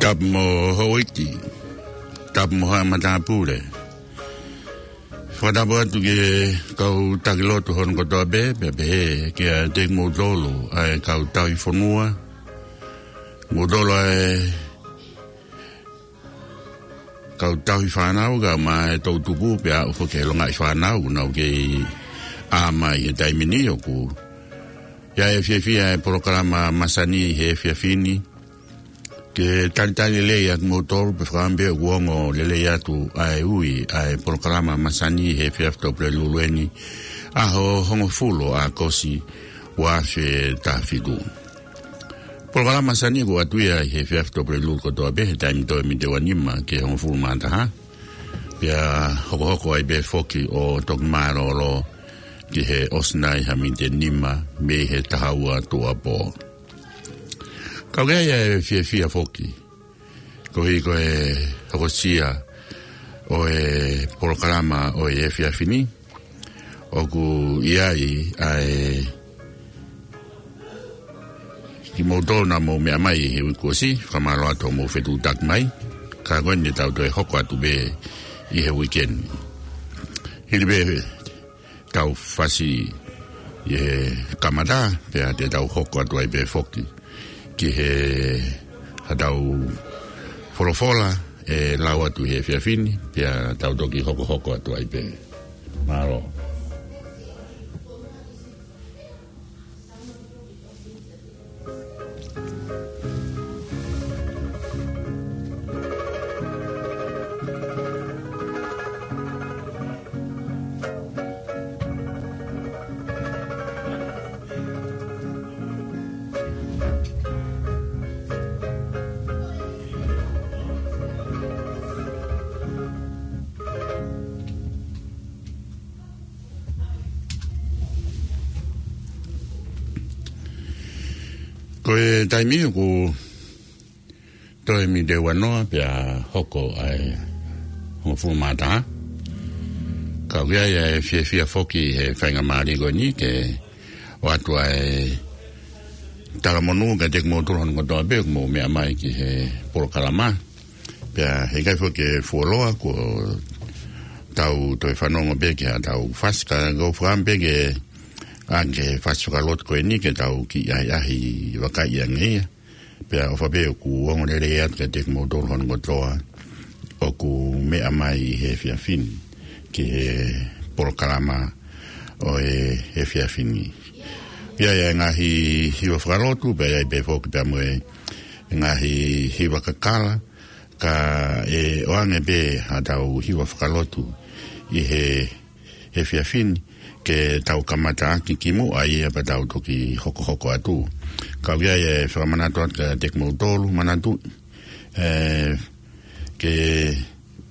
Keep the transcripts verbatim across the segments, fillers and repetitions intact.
Tapu mo houʻeiki, tapu mo haʻa matāpule. Fakatapu atu ki he kau taki lotu hono kotoa pē, pea pehē ki he kimoutolu ʻa e kau tauhi fonua, moutolu ʻa e kau tauhi fānau, kae ʻumaʻā e toʻutupu pea aʻu foki ki he longaʻi fānau, ʻoku nau kei ʻā mai he taimi ni. ʻOku ʻi ai e fiefia e polokalama masani he efiafi ni ke talitali lelei ʻa kimoutolu, pea fakaʻamu pē ʻoku ongo lelei atu ʻa e ui ʻa e polokalama masani he efiafi Tuʻapulelulu eni, ʻaho hongofulu ʻo ʻAokosi, ua afe taha fitu. Polokalama masani ʻoku ʻoatu ia ʻi he efiafi Tuʻapulelulu kotoa pē he taimi toe miniti ua nima ki he hongofulu mā taha. Pea hokohoko ai pē foki ʻo toki mālōlō ki he ʻosi nai ha miniti ʻe nima mei he taha ua tuʻuapō. Ka ʻoku ʻi ai e fiefia foki koeʻuhi ko e hokosia ʻo e polokalama ʻo e efiafi ni, ʻoku ʻi ai ʻa e kimoutolu naʻa mou meʻa mai he uike kuo ʻosi, fakamālō atu hoʻomou fetuʻutaki mai. Ka ko eni te tau toe hoko atu pē ʻi he uike ni. Hili pē ʻetau fasi ʻi he kamata, pea te tau hoko atu ai pē foki ki he haʻatau folofola ʻe lau atu he efiafi ni, pea tau toki hokohoko atu ai pē. Mālō. Ko e taimi ʻoku toe miniti ua noa pea hoko ʻa e hongofulu mā taha. Ka ʻoku ʻi ai ʻa e fiefia foki he faingamālie ko eni ke ʻoatu ʻa e talamonū kiate kimoutolu hono kotoa pē ʻoku mou meʻa mai ki he polokalama. Pea heʻikai foki ke fuoloa, kuo tau toe fanongo pē ki haʻatau fasi, ka ʻoku ou fakaʻamu pē ke ʻoange e fasi fakalotu ko eni ke tau kiʻi ʻahiʻahi vakai ange ia. Pea ʻofa pē ʻoku ongo lelei atu kiate kimoutolu hono kotoa ʻoku meʻa mai he efiafi ni ki he polokalama ʻo e efiafi ni. ʻI ai e ngaahi hiva fakalotu, pea ʻi ai pē foki pea mo e ngaahi hiva kakala, ka ʻe ʻoange pē haʻatau hiva fakalotu ʻi he efiafi ni ke tau kamata ʻaki kimuʻa ia pea tau toki hokohoko atu. Ka ʻoku ʻi ai e fakamanatu atu kiate kimoutolu, manatu, ē, ke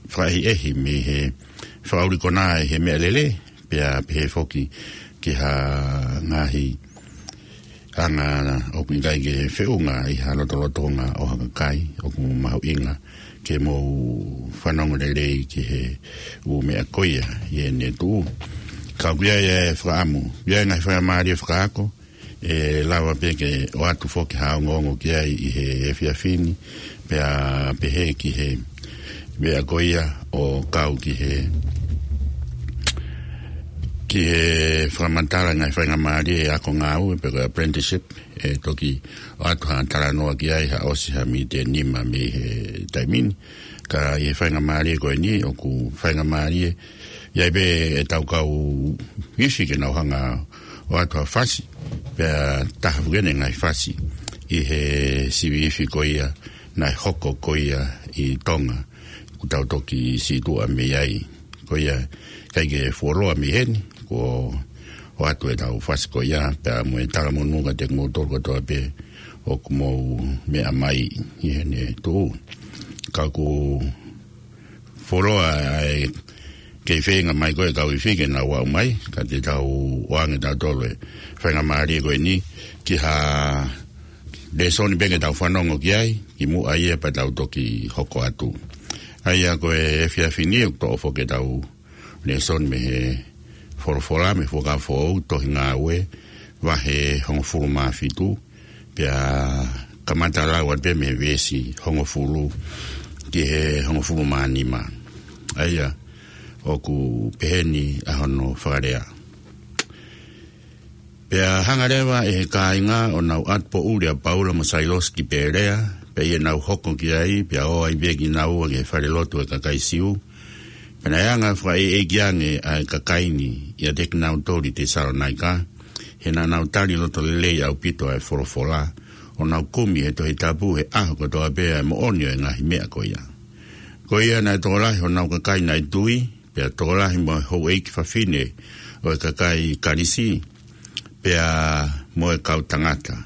fakaʻehiʻehi mei he fakaʻuli konā ʻi he meʻalele, pea pehē foki ki ha ngaahi anga ʻoku ʻikai ke feʻunga ʻi ha lotolotonga ʻo ha kakai ʻoku mahuʻinga ke mou fanongo lelei ki he ʻū meʻa ko ia ʻi heʻene tuʻu. Ka ʻoku ʻi ai e fakaʻamu, ʻi ai e ngaahi faingamālie fakaako, ʻe lava pē ke ʻoatu foki ha ongoongo ki ai ʻi he efiafi ni, pea pehē ki he meʻa ko ia ʻo kau ki he, ki he fakamatala ngaahi faingamālie ʻa e ako ngāue pe ko e apprenticeship, ʻe toki ʻoatu ha talanoa ki ai ha ʻosi ha miniti ʻe nima mei he taimi ni. Ka ʻi he faingamālie ko eni ʻoku faingamālie, ʻi ai pē ʻetau kau ifi ke nau hanga ʻo ʻoatu ha fasi, pea taha foki eni e ngaahi fasi ʻi he sivi ifi ko ia naʻe hoko ko ia ʻi Tonga, kuo tau toki sītuʻa mei ai. Ko ia, ʻikai ke fuoloa mei heni, kuo ʻoatu ʻetau fasi ko ia, pea mo e talamonū kiate kimoutolu kotoa pē ʻoku mou meʻa mai ʻi heʻene tuʻu. Ka ʻoku fuoloa ʻa e kei feinga mai ko e kau ifi ke nau aʻu mai, ka te tau ʻoange tautolu e faingamālie ko eni ki ha lēsoni pē ke tau fanongo ki ai, kimuʻa ia pea tau toki hoko atu. ʻA ia ko e efiafi ni ʻoku toʻo foki ʻetau lēsoni mei he folofola, mei he Fuakava Foʻou, Tohi Ngāue, vahe hongofulu mā fitu, pea Kamata lau atu mei he veesi hongofulu ki he hongofulu mā nima. ʻA ia, ʻoku peheni ʻa hono fakalea. Pea hanga leva ʻe he kāinga ʻo nau ʻatu poʻuli ʻa Paula mo Sailosi ki Pēlea, pea ʻi heʻenau hoko ki ai, pea ō ai pē kinaua ki he falelotu ʻo e kakai Siu. Pea naʻe anga fakaʻeiʻeiki ange ʻa e kakai ni ʻiate kinautolu ʻi Tesalonaika, he naʻa nau tali loto lelei ʻaupito ʻa e folofola, ʻo nau kumi he Tohi Tapu he ʻaho kotoa pē ʻa e moʻoni ʻo e ngaahi meʻa ko ia. Ko ia naʻe tokolahi honau kakai naʻe tui, pea tokolahi mo e houʻeiki fafine ʻo e kakai Kalisi, pea mo e kau tangata.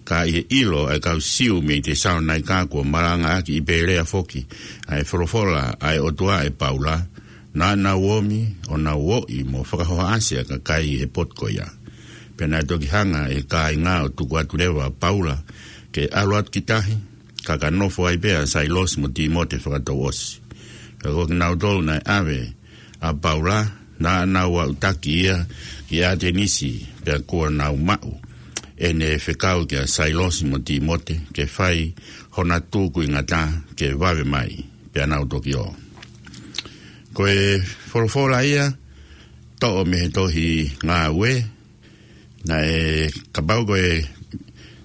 Ka ʻi he ʻilo ʻa e kau Siu mei Tesalonaika kuo malangaʻaki ʻi Pēlea foki ʻa e folofola ʻa e ʻOtua ʻe Paula, naʻa nau ōmi ʻo nau ōʻi mo fakahohaʻasi ʻa e kakai ʻi he potu ko ia. Pea naʻe toki hanga ʻe he kāinga ʻo tuku atu leva ʻa Paula ke ʻalu atu ki tahi, ka ka nofo ai pē ʻa Sailosi mo Tīmote fakatouʻosi. Ka ko kinautolu naʻe ʻave ʻa Paula, naʻa nau aʻutaki ia ki ʻAtenisi, pea kuo nau maʻu ʻene fekau kia Sailosi mo Tīmote ke fai hona tūkuingata ke vave mai, pea nau toki ō. Ko e folofola ia, toʻo mei he tohi Ngāue, naʻe kapau ko e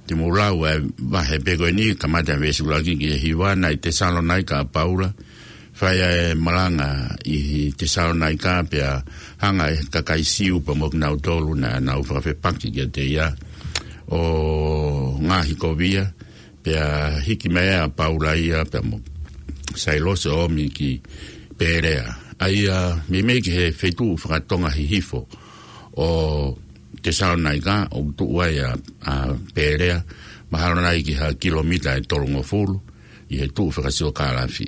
te mou lau ʻa e vahe pē ko eni, kamata veesi ʻuluaki ki he hiva, naʻe ʻi Tesalonaika ʻa Paula, fai ʻa e malanga ʻi Tesalonaika, pea hanga ʻe he kakai Siu pea mo kinautolu naʻa nau fakafepaki kiate ia ʻo ngaohikovia, pea hiki mai ʻa Paula ia, pea mo Sailosi ʻo ōmi ki Pēlea. ʻA ia, meimei ki he feituʻu fakatonga hihifo ʻo Tesalonaika, ʻoku tuʻu ai ʻa, ʻa Pēlea, mahalo nai ki ha kilomita ʻe tolungofulu, ʻi he tuʻu fakasiokālafi.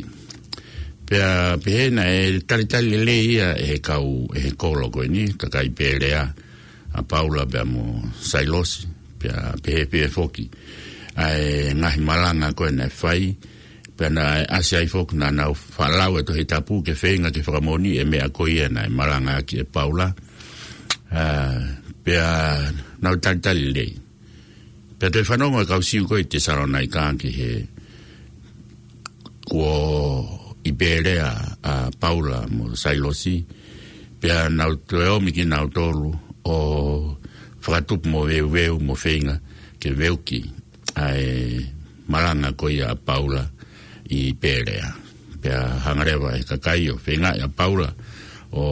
Pea pehē naʻe talitali lelei ia ʻe he kau, ʻe he kolo ko eni, kakai Pēlea, ʻa Paula pea mo Sailosi, pea pehē pē foki ʻa e ngaahi malanga ko ē naʻe fai, pea naʻe ʻasi ai foki naʻa nau faʻa lau ʻa e Tohi Tapu ke feinga ke fakamoʻoni ʻa e meʻa ko ia naʻe malangaʻaki ʻe Paula. ʻA, pea nau talitali lelei. Pea toe fanongo ʻa e kau Siu ko ē ʻi Tesalonaika ki he kuo ʻi Pēlea ʻa Paula mo Sailosi, pea nau toe ōmi kinautolu ʻo fakatupu mo veuveu mo feinga ke veuki ʻa e malanga ko ia ʻa Paula ʻi Pēlea. Pea hanga leva ʻe he kakai ʻo feingaʻi ʻa Paula ʻo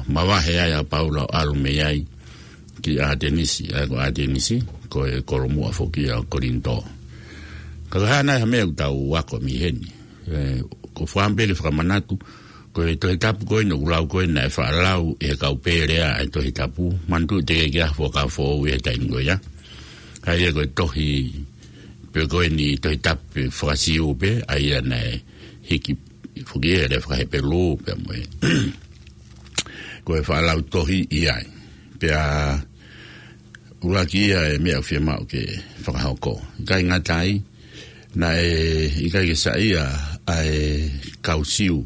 mavahe ai ʻa Paula ʻo ʻalu mei ai ki ʻAtenisi, ʻa ia ko ʻAtenisi, ko e kolomuʻa foki ʻa Kolinitō. Ka ko e hā nai ha meʻa ʻoku tau ako mei heni? ʻE, ko e fakaʻamu pē ke fakamanatu, ko e Tohi Tapu ko eni ʻoku lau ko ē naʻe faʻa lau ʻe he kau Pēlea ʻa e Tohi Tapu, manatuʻi teʻeki ke ʻi ai ha Fuakava Foʻou ʻi he taimi ko ia. ʻA ia ko e tohi pē ko eni Tohi Tapu pē faka-Siu pē, ʻa ia naʻe hiki foki ʻe he lea faka-Hepelū pea mo e ko e faʻa lau tohi ʻi ai. Pea ʻuluaki ia e meʻa ʻoku fiemaʻu ke fakahoko. ʻIkai ngata ai, naʻe ʻikai ke saiʻia ʻa e kau Siu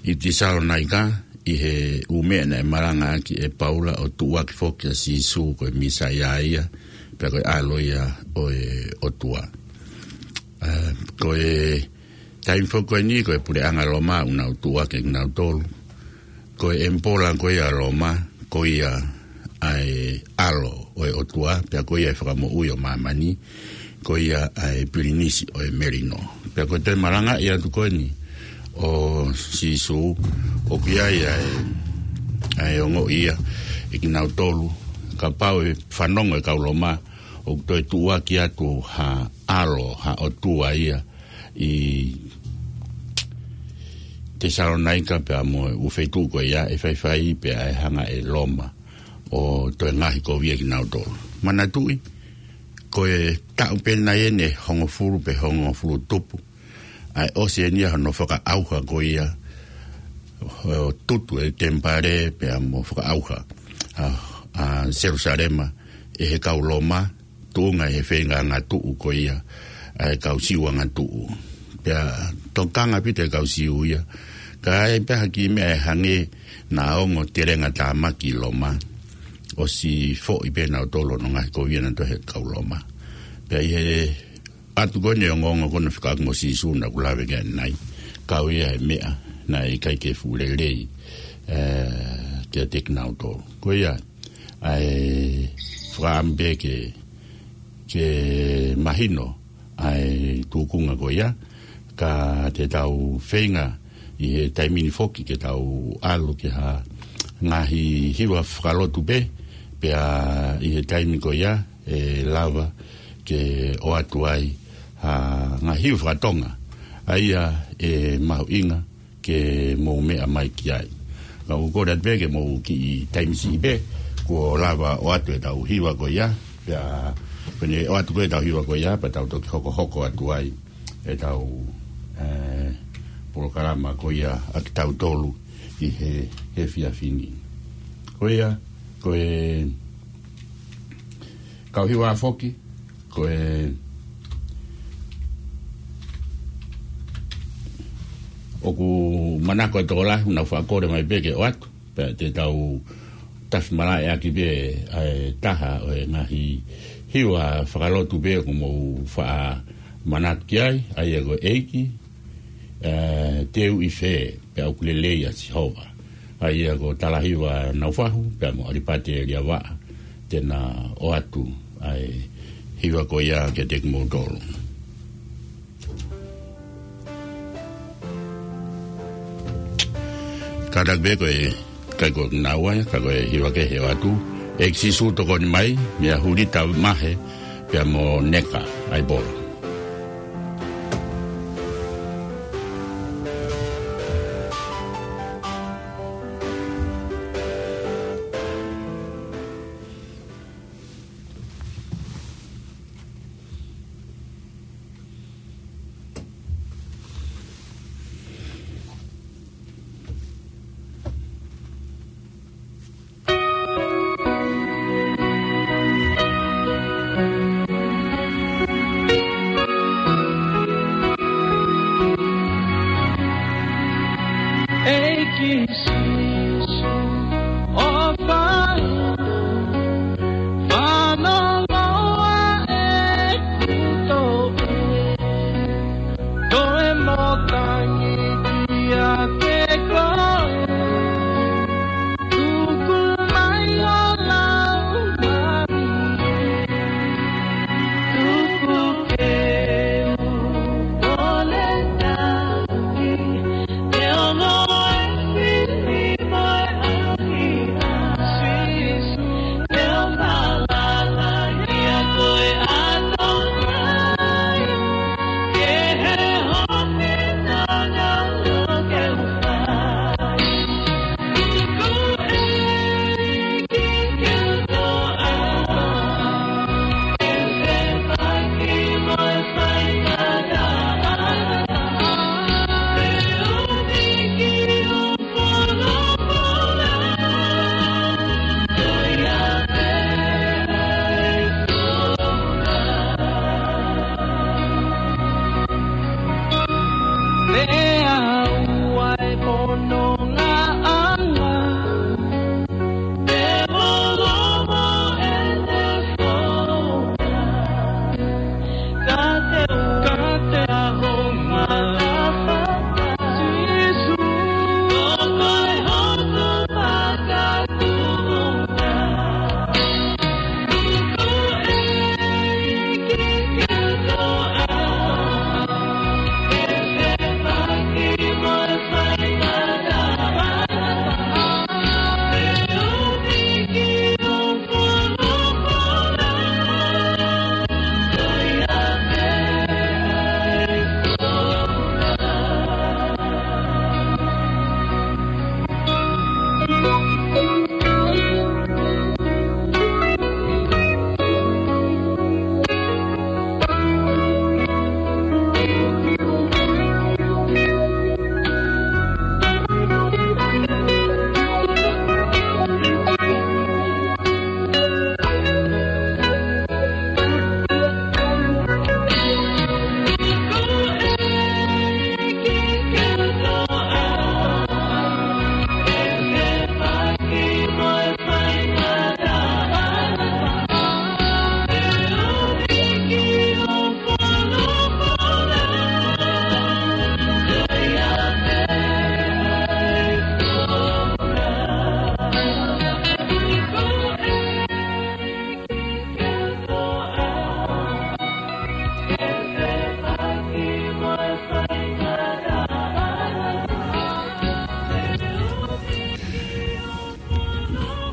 ʻi Tesalonaika ʻi he ʻū meʻa naʻe malangaʻaki ʻe Paula ʻo tuʻuaki foki ʻa Sīsū ko e Mīsaia ia, pea ko e ʻAlo ia ʻo e ʻOtua. ʻA, ko e taimi foki ko eni ko e puleʻanga Loma ʻoku nau tuʻuaki kinautolu. Ko e ʻemipola ko ia ʻa Loma, ko ia ʻa e ʻAlo ʻo e ʻOtua, pea ko ia e Fakamoʻui ʻo māmani, ko ia ʻa e Pilinisi ʻo e Melino. Pea ko e toe malangaʻi atu ko eni ʻo Sīsū, ʻoku ʻi ai ʻa e, ʻa e ongoʻi ia ʻe kinautolu, kapau ʻe fanongo e kau Loma ʻoku toe tuʻuaki atu ha ʻalo, ha ʻotua ia ʻi Tesalonaika pea mo e ʻū feituʻu ko ia, ʻe faifai pea ʻe hanga ʻe Loma ʻo toe ngaohikovia kinautolu. Manatuʻi, ko e taʻu pē nai eni ʻe hongofulu pe hongofulu tupu ʻa e ʻosi eni ʻa hono fakaʻauha ko ia, ʻo tutu e temipale pea mo fakaʻauha ʻa, ʻa Selusalema ʻe he kau Loma, tuʻunga ʻi he feinga angatuʻu ko ia ʻa e kau Siu angatuʻu. Pea tokanga ʻaupito e kau Siu ia, ka ʻi ai pē ha kiʻi meʻa ʻe hangē naʻa ongo telenga tāmaki ʻi Loma, ʻosi foʻi pē nautolu ʻo ngaohikovia nautolu ʻe he kau Loma. Pea ʻi he ʻOatu ko eni e ongoongo ko ena fekauʻaki mo Sīsū naʻa ku lave ki ai ʻanenai. Kau ia he meʻa naʻe ʻikai ke fuʻu lelei, ē, kiate kinautolu. Ko ia, ʻa e fakaʻamu pē ke, ke mahino ʻa e tūkunga ko ia, ka te tau feinga ʻi he taimi ni foki ke tau ʻalu ki ha ngaahi hiva fakalotu pē, pea ʻi he taimi ko ia ʻe lava ke ʻoatu ai ha ngaahi hiva fakatonga, ʻa ia ʻe mahuʻinga ke mou meʻa mai ki ai. Ka ʻoku ou kole atu pē ke mou kiʻi taimi siʻi pē, kuo lava ʻoatu ʻetau hiva ko ia, pea, pea ne ʻoatu ko ē ʻetau hiva ko ia, pea tau toki hokohoko atu ai ʻetau, ē, polokalama ko ia ʻa kitautolu ʻi he, he efiafi ni. Ko ia, ko e kau hiva foki, ko e ʻoku manako e tokolahi, nau fakakole mai pē ke ʻoatu, pea te tau tafi malaʻeʻaki pē ʻa e taha ʻo e ngaahi hiva fakalotu pē ʻoku mou faʻa manatu ki ai, ʻa ia ko e ʻEiki, ē, te u ʻi fē, pea ʻoku lelei ʻa Sihova. ʻA ia ko Talahiva Naufahu, pea mo ʻAlipate Liavaʻa, te na ʻoatu ʻa e hiva ko ia kiate kimoutolu. Kātaki pē ko e, ʻikai ko kinaua ia, ka ko e hiva kehe ʻoatu. ʻEiki Sīsū tokoni mai, meia Hulita Mahe, pea mo Neka ʻAipola. ʻEiki Sīsū, ʻofa, fanongo ʻeku toʻe, toe mo tangi kiate koe. Tuku mai ho Laumālie, tuku ke u ole taki, te ono e fili mo e ʻahiʻahi. Sīsū, te u falala kiate koe ʻa Tonga, ke he hope nana lo ke u fai.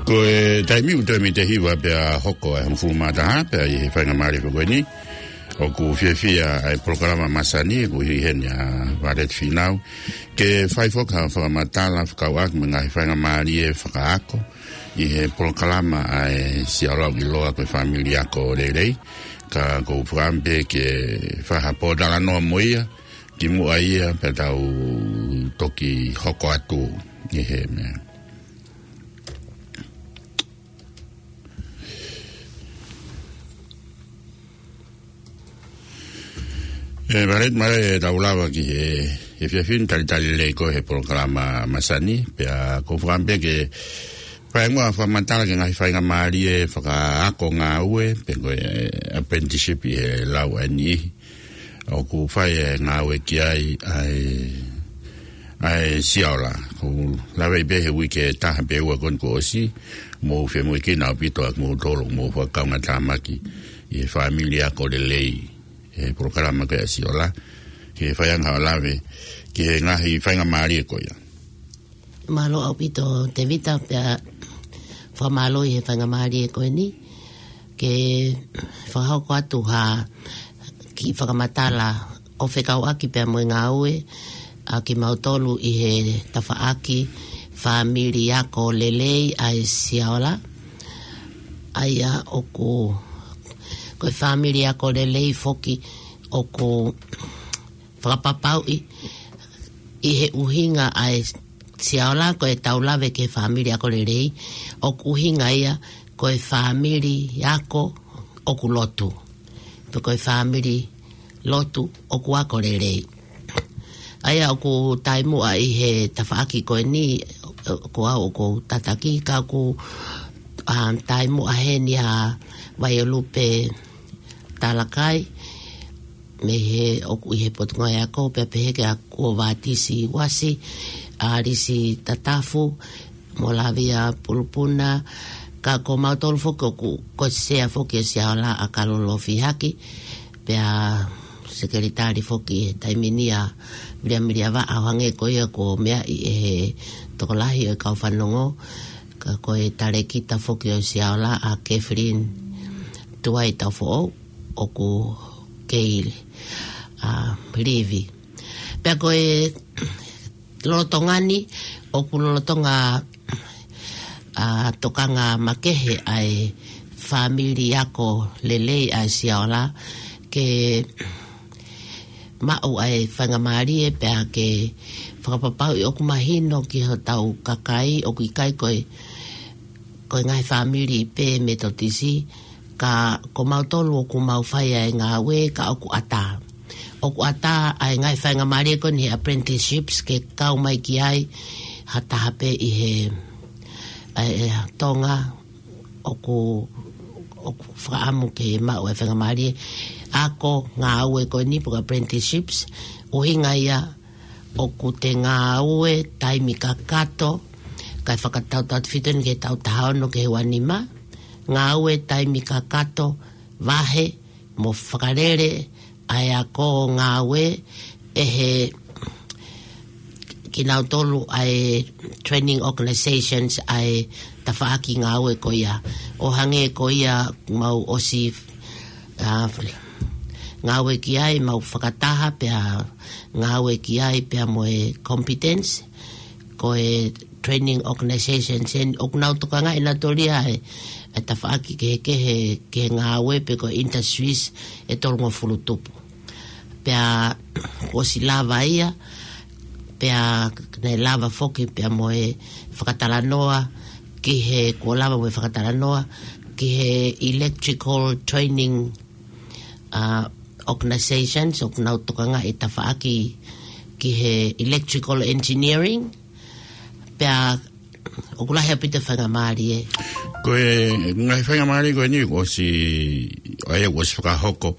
Ko e taimi ʻoku toe miniti ʻe hiva pea hoko ʻa e hongofulu mā taha pea ʻi he faingamālie ko eni. ʻOku fiefia ʻa e polokalama masani, ʻoku ʻi heni ʻa Violet Fīnau. Ke fai foki ha fakamatala, fakauʻaki mo e ngaahi faingamālie fakaako. ʻI he polokalama ʻa e Siaola ʻoku ʻiloa ko e Fāmili Ako Lelei. Ka ʻoku ou fakaʻamu pē ke fai ha pōtalanoa mo ia. Kimuʻa ia pea tau toki hoko atu ʻi he meʻa. ʻE, Violet, mālō e tau lava ki he, he efiafi ni, talitali lelei koe he polokalama masani, pea ʻoku ou fakaʻamu pē ke fai muʻa ha fakamatala ki he ngaahi faingamālie fakaako ngāue, pe ko e apprenticeship ʻi he lau ʻa e niʻihi ʻoku fai e ngāue ki ai ʻa e, ʻa e Siaola. ʻOku ou lave pē he uike ʻe taha pe ua ko eni kuo ʻosi, mou femoʻuekina ʻaupito ʻa kimoutolu ʻoku mou fakakaungātāmaki ʻi he Fāmili Ako Lelei, he polokalama ko ia ʻa e Siaola, ke fai ange haʻo lave ki he ngaahi faingamālie ko ia. Mālō ʻaupito Tēvita, pea fakamālō ʻi he faingamālie ko eni ke fakahoko atu ha kiʻi fakamatala ʻo fekauʻaki pea mo e ngāue ʻa kimautolu ʻi he tafaʻaki Fāmili Ako Lelei ʻa e Siaola. ʻA ia ʻoku, ko e Fāmili Ako Lelei foki ʻoku fakapapauʻi ʻi he ʻuhinga ʻa e Siaola ko e tau lave ki he Fāmili Ako Lelei, ʻoku ʻuhinga ia ko e fāmili ako ʻoku lotu, pe ko e fāmili lotu ʻoku ako lelei. ʻA ia ʻoku taimi muʻa ʻi he tafaʻaki ko eni, ko au ʻoku ou tataki, ka ʻoku, um, taimi muʻa heni ʻa Vaiolupe Talakai, mei he ʻoku ʻi he Potungāue Ako, pea pehē kia Kuovatisi Uasi, ʻa Lisi Tatafu, mo Lavia Pulupuna, ka ko mautolu foki ʻoku, ko e sea foki ʻo e Siaola ʻa Kalolo Fihaki, pea sekelitali foki he taimi ni ʻa Viliamiliavaʻa, ʻo hangē ko ia kuo meaʻi ʻe he tokolahi ʻo e kau fanongo, ka ko e talēkita foki ʻo e Siaola ʻa Kathleen Tuai Taufoʻou, ʻoku kei, ʻa, livi. Pea ko e lolotonga ni, ʻoku lolotonga, ʻa, tokanga makehe ʻa e Fāmili Ako Lelei ʻa e Siaola ke maʻu ʻa e faingamālie pea ke fakapapauʻi ʻoku mahino ki hotau kakai ʻoku ʻikai ko e, ko e ngaahi fāmili pē Metotisi, ka ko mautolu ʻoku mau fai ʻa e ngāue ka ʻoku ʻatā. ʻOku ʻatā ʻa e ngaahi faingamālie ko eni he apprenticeships ke kau mai ki ai ha taha pē ʻi he, ʻa e, Tonga ʻoku, ʻoku fakaʻamu ke maʻu ʻa e faingamālie ako ngāue ko eni pe ko e apprenticeships, ʻuhinga ia ʻoku te ngāue taimi kakato, kae fakatautautefito eni ki he taʻu taha ono ki he ua nima, ngāue taimi kakato, vahe, mo fakalele ʻa e ako ngāue ʻe he kinautolu ʻa e training organizations ʻa e tafaʻaki ngāue ko ia. ʻO hangē ko ia mau ʻosi, ʻa, ngāue ki ai, mau fakataha pea ngāue ki ai pea mo e competence, ko e training organizations eni ʻoku nau tokangaʻi nautolu ia ʻa e, ʻa e tafaʻaki kehekehe ki he ngāue pe ko e industries ʻe tolungofulu tupu. Pea kuo ʻosi lava ia, pea naʻe lava foki pea mo e fakatalanoa ki he, kuo lava mo e fakatalanoa ki he electrical training, ʻa, organizations ʻoku nau tokangaʻi tafaʻaki ki he electrical engineering, pea ʻoku lahi ʻaupito e faingamālie. Ko e ngaahi faingamālie ko eni kuo ʻosi, ʻa ia kuo ʻosi fakahoko,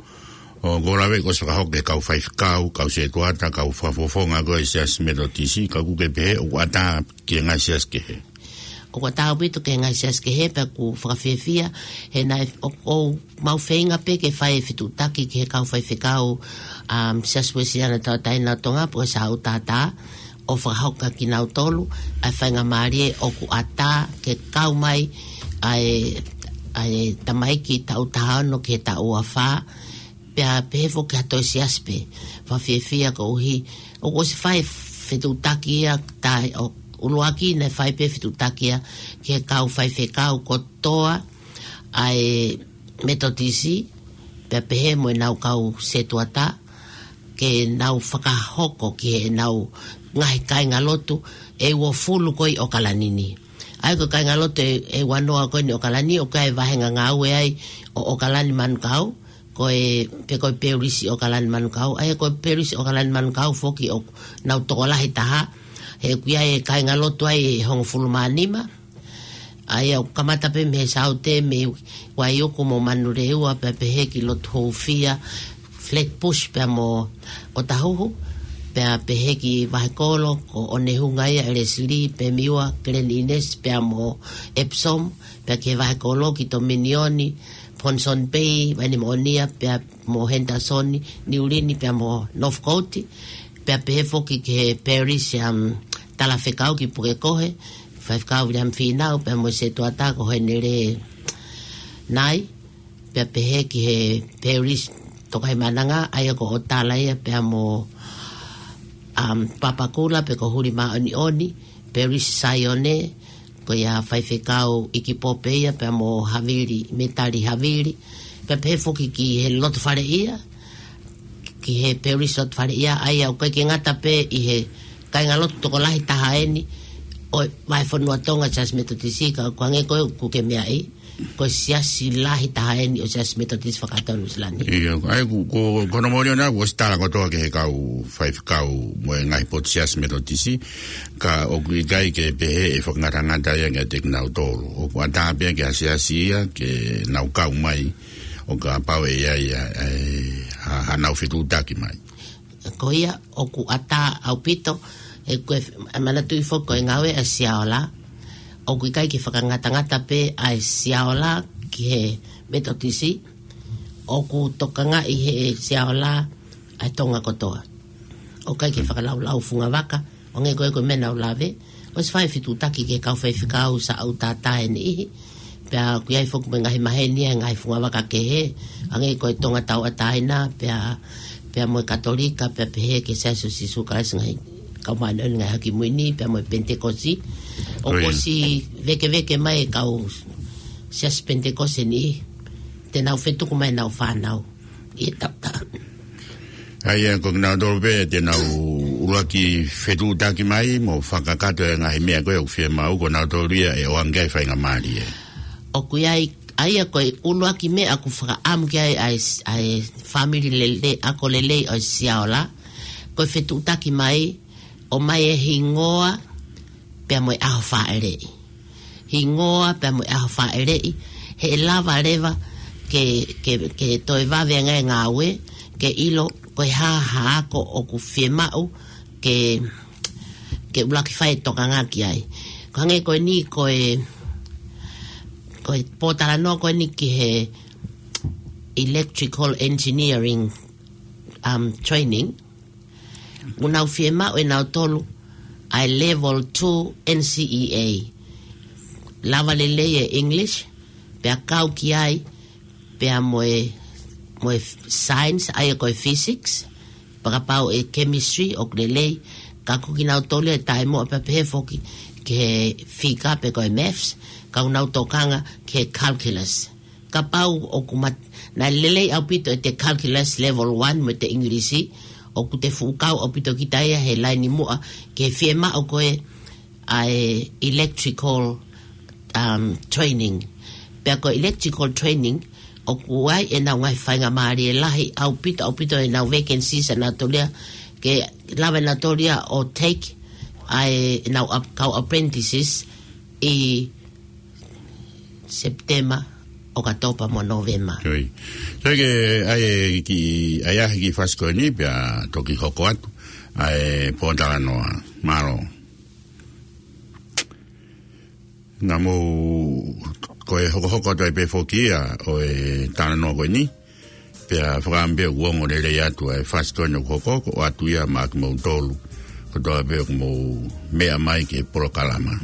ʻoku ou lave kuo ʻosi fakahoko ki he kau faifekau, kau sētuata, kau fakafofonga ko e Siasi Metotisi, ka ʻoku ke pehē ʻoku ʻatā ki he ngaahi siasi kehe. ʻOku ʻatā ʻaupito ki he ngaahi siasi kehe pea ʻoku fakafiefia, he naʻe ʻo, ʻoku mau feinga pē ke fai e fetuʻutaki ki he kau faifekau, um, Siasi Uēsiliana Tauʻatāina ʻo Tonga, pe ko e S U T T, ʻo fakahoko kia kinautolu ʻa e faingamālie ʻoku ʻatā ke kau mai ʻa e, ʻa e tamaiki taʻu taha ono ki he taʻu ua fā, pea pehē foki ha toe siasi pē. Fakafiefia koeʻuhi ʻoku ʻosi fai fetuʻutaki ia, taʻe ʻuluaki naʻe fai pē fetuʻutaki ia ki he kau faifekau kotoa ʻa e Metotisi, pea pehē mo ʻenau kau setuata, ke nau fakahoko ki heʻenau ngaahi kāingalotu ʻe uofulu ko ē ʻi ʻOkalani ni. ʻA ia ko e kāingalotu ʻe, ʻe uanoa ko eni ʻi ʻOkalani, ʻoku ʻi ai e vāhenga ngāue ai ʻo ʻOkalani Manukau, ko e, pe ko e Peulisi ʻOkalani Manukau, ʻa ia ko e Peulisi ʻOkalani Manukau foki ʻoku nau tokolahi taha, he ʻoku ʻi ai e kāingalotu ai ʻe hongofulu mā nima, ʻa ia ʻoku kamata pē mei he Saute, mei Vaiuku mo Manurewa, pea pehē ki Lotuhoufia, Flatbush pea mo ʻOtahuhu, pea pehē ki Vahekolo, ko ʻOnehunga ia ʻe Leslie, Pemiua, Glen Innes, pea mo Epsom, pea ki he Vahekolo ki Tominioni, Ponsonby, Vainemaʻonia, pea mo Henderson, Niulini, pea mo Northcote, pea pehē foki ki he Peulisi, um, Talafekau ki Pukekohe, Faifekau William Fīnau, pea mo e setuata ko Henele Nai, pea pehē ki he Peulisi Tokaimaʻananga, ʻa ia ko ʻOtala ia, pea mo, um, Papakura, pe ko Huli Māʻoniʻoni, Peulisi Saione, ko ia Faifekau ʻIkipope ia, pea mo Havili, Metali Havili, pea pehē foki ki he Lotofaleʻia, ki he Peulisi Lotofaleʻia, ʻa ia ʻoku ʻikai ke ngata pē ʻi he kāingalotu tokolahi taha eni ʻo e vahefonua Tonga Siasi Metotisi, ka ʻoku hangē ko ē ʻoku ke meaʻi, ko e siasi lahi taha eni ʻo e Siasi Metotisi fakatonu Silani. ʻIo, ʻa ia ko, ko, ko hono moʻoni ʻona, kuo ʻosi tala kotoa ki he kau faifekau mo e ngaahi potu Siasi Metotisi, ka ʻoku ʻikai ke pehē ʻe fakangatangata ia kiate kinautolu. ʻOku ʻatā pē ke ʻa e siasi ia ke nau kau mai, ʻo kapau ʻe ʻi ai ʻa e, ha, haʻanau fetuʻutaki mai. Ko ia, ʻoku ʻatā ʻaupito, he ko e, ʻa e manatuʻi foki ko e ngāue ʻa e Siaola, ʻoku ʻikai ke fakangatangata pē ʻa e Siaola ki he Metotisi, ʻoku tokangaʻi ʻe he Siaola ʻa e Tonga kotoa. ʻOku ʻikai ke fakalaulau fungavaka, ʻo hangē ko e, ko e meʻa naʻa ku lave, ʻosi fai fetuʻutaki ki he kau faifekau Saute ʻe niʻihi. Pea ʻoku ʻi ai foki mo e ngaahi maheni ʻa e ngaahi fungavaka kehe, hangē ko e Tonga Tauʻatāina, pea, pea mo e Katolika, pea pehē ki he Siasi ʻo Sīsū Kalaisi ʻo e Ngaahi Kau Māʻoniʻoni ʻi he Ngaahi ʻAho Kimui Ni, pea mo e Penitekosi. ʻOku ʻOi. ʻOsi vēkeveke mai e kau Siasi Penitekosi ʻe niʻihi, te nau fetuku mai ʻenau fānau ʻi he taʻu taha. ʻA ia, ko kinautolu pē te nau ʻuluaki fetuʻutaki mai mo fakakakato e ngaahi meʻa ko ē ʻoku fiemaʻu, ko kinautolu ia ʻe ʻoange ai e faingamālie. ʻOku ʻi ai, ʻa ia ko e ʻuluaki meʻa ʻoku fakaʻamu ki ai ʻa e, ʻa e fāmili lele, ako lelei ʻo e Siaola, ko e fetuʻutaki mai, ʻomai e hingoa pea mo e ʻaho fāʻeleʻi. Hingoa pea mo e ʻaho fāʻeleʻi, he ʻe lava leva ke, ke, ke toe vave ange e ngāue, ke ʻilo ko e hā ha ako ʻoku fiemaʻu ke, ke ʻuluaki fai e tokanga ki ai. Ko e hangē ko eni ko e, ko e pōtalanoa ko eni ki he electrical engineering, um, training, ʻoku nau fiemaʻu ʻe nautolu ʻa e level two N C E A. Lava lelei e English, pea kau ki ai, pea mo e, mo e science, ʻa ia ko e physics, pea kapau ʻe chemistry ʻoku lelei, ka ko kinautolu ʻe taʻemoʻa pea pehē foki ki he fika pe ko e maths, ka ʻoku nau tokanga ki he calculus. Kapau ʻoku mat-, naʻe lelei ʻaupito ʻete calculus level one mo ʻete ʻIngilisi, ʻoku te fuʻu kau ʻaupito kita ia he laine muʻa ki he fiemaʻu ko ē ʻa e electrical, um, training. Pea ko e electrical training, ʻoku ʻi ai ʻenau ngaahi faingamālie lahi ʻaupito, ʻaupito ʻenau vacancies ʻa nautolu ia, ke lava nautolu ia ʻo take ʻa ʻenau ap-, kau apprentices ʻi Sepitema, ʻOkatopa mo Nōvema. ʻIo. Sai ke ʻai e kiʻi, ʻai ʻa e kiʻi fasi ko eni pea toki hoko atu ʻa e pōtalanoa. Mālō. Naʻa mou ko e hokohoko atu ai pē foki ia ʻo e talanoa ko eni. Pea fakaʻamu pē ʻoku ongo lelei atu ʻa e fasi ko eni ʻoku hoko, ko e ʻoatu ia maʻa kimoutolu kotoa pē ʻoku mou meʻa mai ki he polokalama.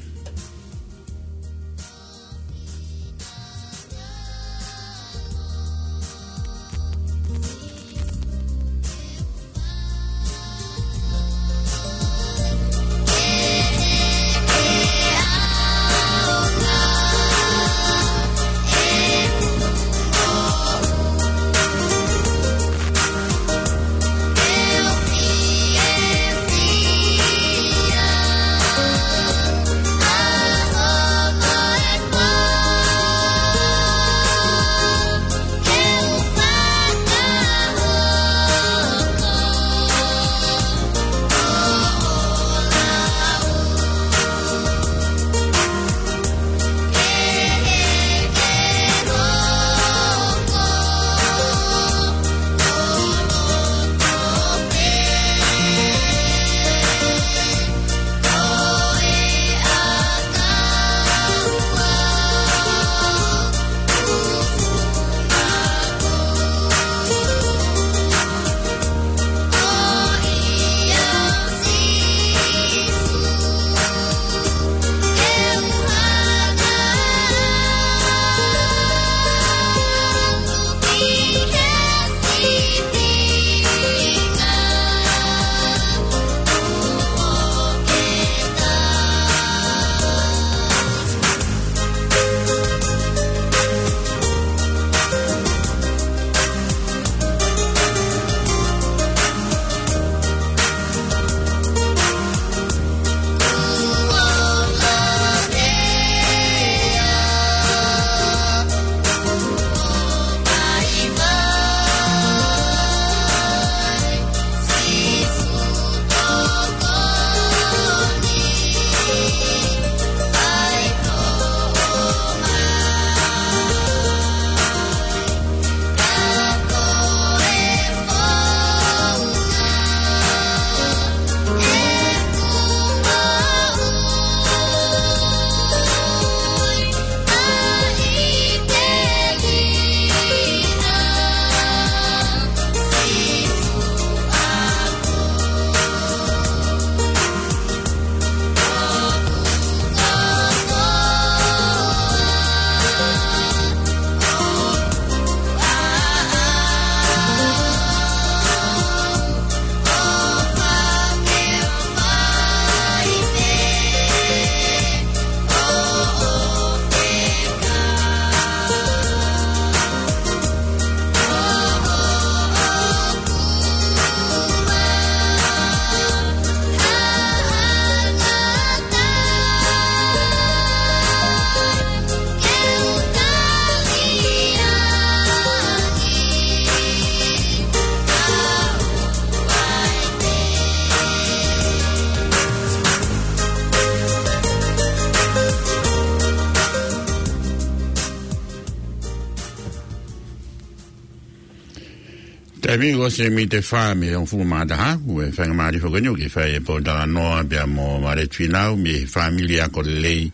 Taimi ko ē ʻosi e miniti ʻe fā mei he hongofulu mā taha, ʻoku faingamālie foki eni ke fai e pōtalanoa pea mo Vāleti Fīnau mei he fāmili ako lelei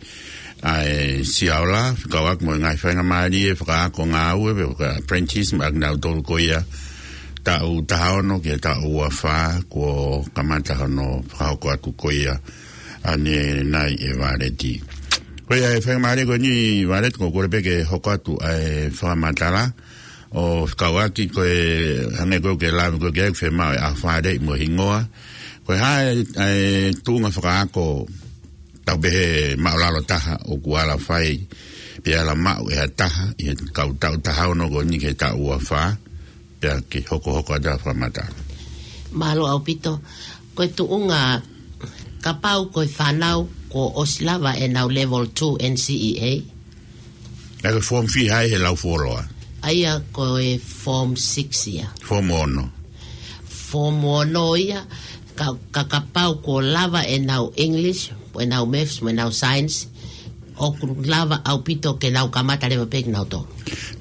ʻa e Siaola, fekauʻaki mo e ngaahi faingamālie fakaako ngāue pe faka-apprentice maʻa kinautolu ko ia taʻu taha ono ki he taʻu ua fā kuo kamata hono fakahoko atu ko ia ʻanenai ʻe Vāleti. Ko ia e faingamālie ko eni Vāleti, ʻoku ou kole pē ke hoko atu ʻa e fakamatala ʻo fekauʻaki ko e hangē ko ē ʻoku ke lave ko ē ki ai, ʻoku fiemaʻu e ʻaho Falaite mo e hingoa. Ko e hā e tuʻunga fakaako tau pehē māʻulalo taha ʻoku ala fai pe ala maʻu ʻe ha taha ʻi he kau taʻu taha ono ko eni ki he taʻu ua fā, pea ke hokohoko atu ʻa e fakamatala. Mālō ʻaupito. Ko e tuʻunga, kapau ko e fānau kuo ʻosi lava ʻenau level two N C E A. Naʻe ko e form fiha ia he lau fuoloa? ʻA ia ko e form six ia. Form ono. Form ono ia, ka, ka kapau kuo lava ʻenau English, ʻenau maths, mo ʻenau science, ʻoku lava ʻaupito ke nau kamata leva pē kinautolu.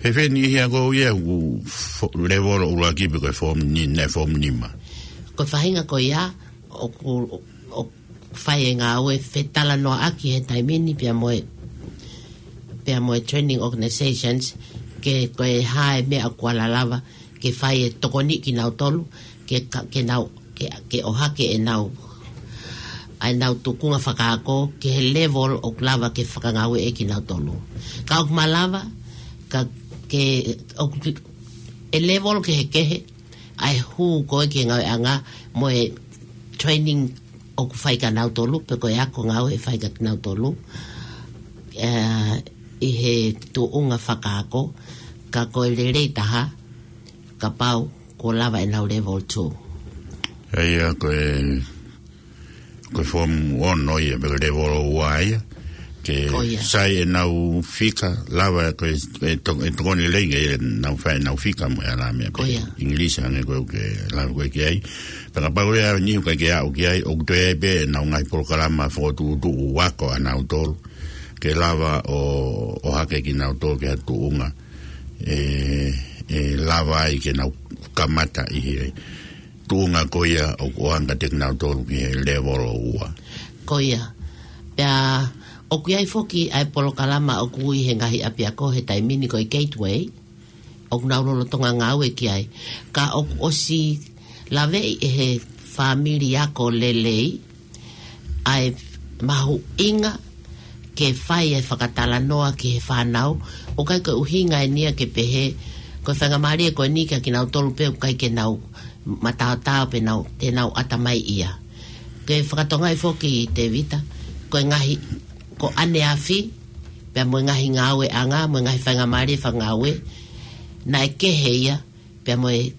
He feni ia ko ia ʻoku fo-, level ʻuluaki pe ko e form ni-, naʻe form nima. Ko e faʻahinga ko ia, ʻoku, ʻoku fai e ngāue fetalanoaʻaki he taimi ni pea mo e, pea mo e training organizations, ke ko e hā e meʻa ʻoku ala lava ke fai e tokoni kinautolu, ke ka-, ke nau, ke, ke ʻohake ʻenau ʻa ʻenau tuʻunga fakaako ki he level ʻoku lava ke fakangāueʻaki kinautolu. Ka ʻoku malava, ka ke, ʻoku, ʻe level kehekehe, ʻa e hū ko ē ki he ngāueʻanga mo e training ʻoku fai kia nautolu, pe ko e ako ngāue ʻe fai kia kinautolu, ē, ʻi he tuʻunga fakaako, ka ko e lelei taha, kapau kuo lava ʻenau level two. ʻA ia ko e, ko e form ono ia, pe ko e level ua ia. Ke Ko ia. sai ʻenau fika, lava ko e, e to-, e tokoni lelei ke ʻenau fai ʻenau fika mo e ʻalā meʻa Ko pē ia. English hangē ko ē ʻoku ke lave ko ē ki ai. Pea kapau ʻe ʻi ai ha niʻihi ʻoku ʻikai ke aʻu ki ai, ʻoku toe ʻi ai pē ʻenau ngaahi polokalama fokotuʻutuʻu ako ʻanautolu. Ke lava ʻo, ʻo ʻohake kinautolu ki ha tuʻunga ʻe, ʻe lava ai ke nau kamata ʻi he tuʻunga ko ia ʻoku ʻoange kiate kinautolu ki he level ua. Ko ia. Pea ʻoku ʻi ai foki ʻa e polokalama ʻoku ui he ngaahi ʻapiako he taimi ni ko e Gateway, ʻoku nau lolotonga ngāue ki ai. Ka ʻoku ʻosi laveʻi ʻe he fāmili ako lelei ʻa e mahuʻinga ke fai e fakatalanoa ki he fānau, ʻoku ʻikai ko e ʻuhinga eni ia ke pehē, ko e faingamālie ko eni kia kinautolu pē ʻoku ʻikai ke nau mataotao pe nau, te nau ʻatamaiʻia. Ke fakatonga ai foki Tēvita, ko e ngaahi, ko ʻaneafi, pea mo e ngaahi ngāueʻanga, mo e ngaahi faingamālie fakangāue, naʻe kehe ia, pea mo e,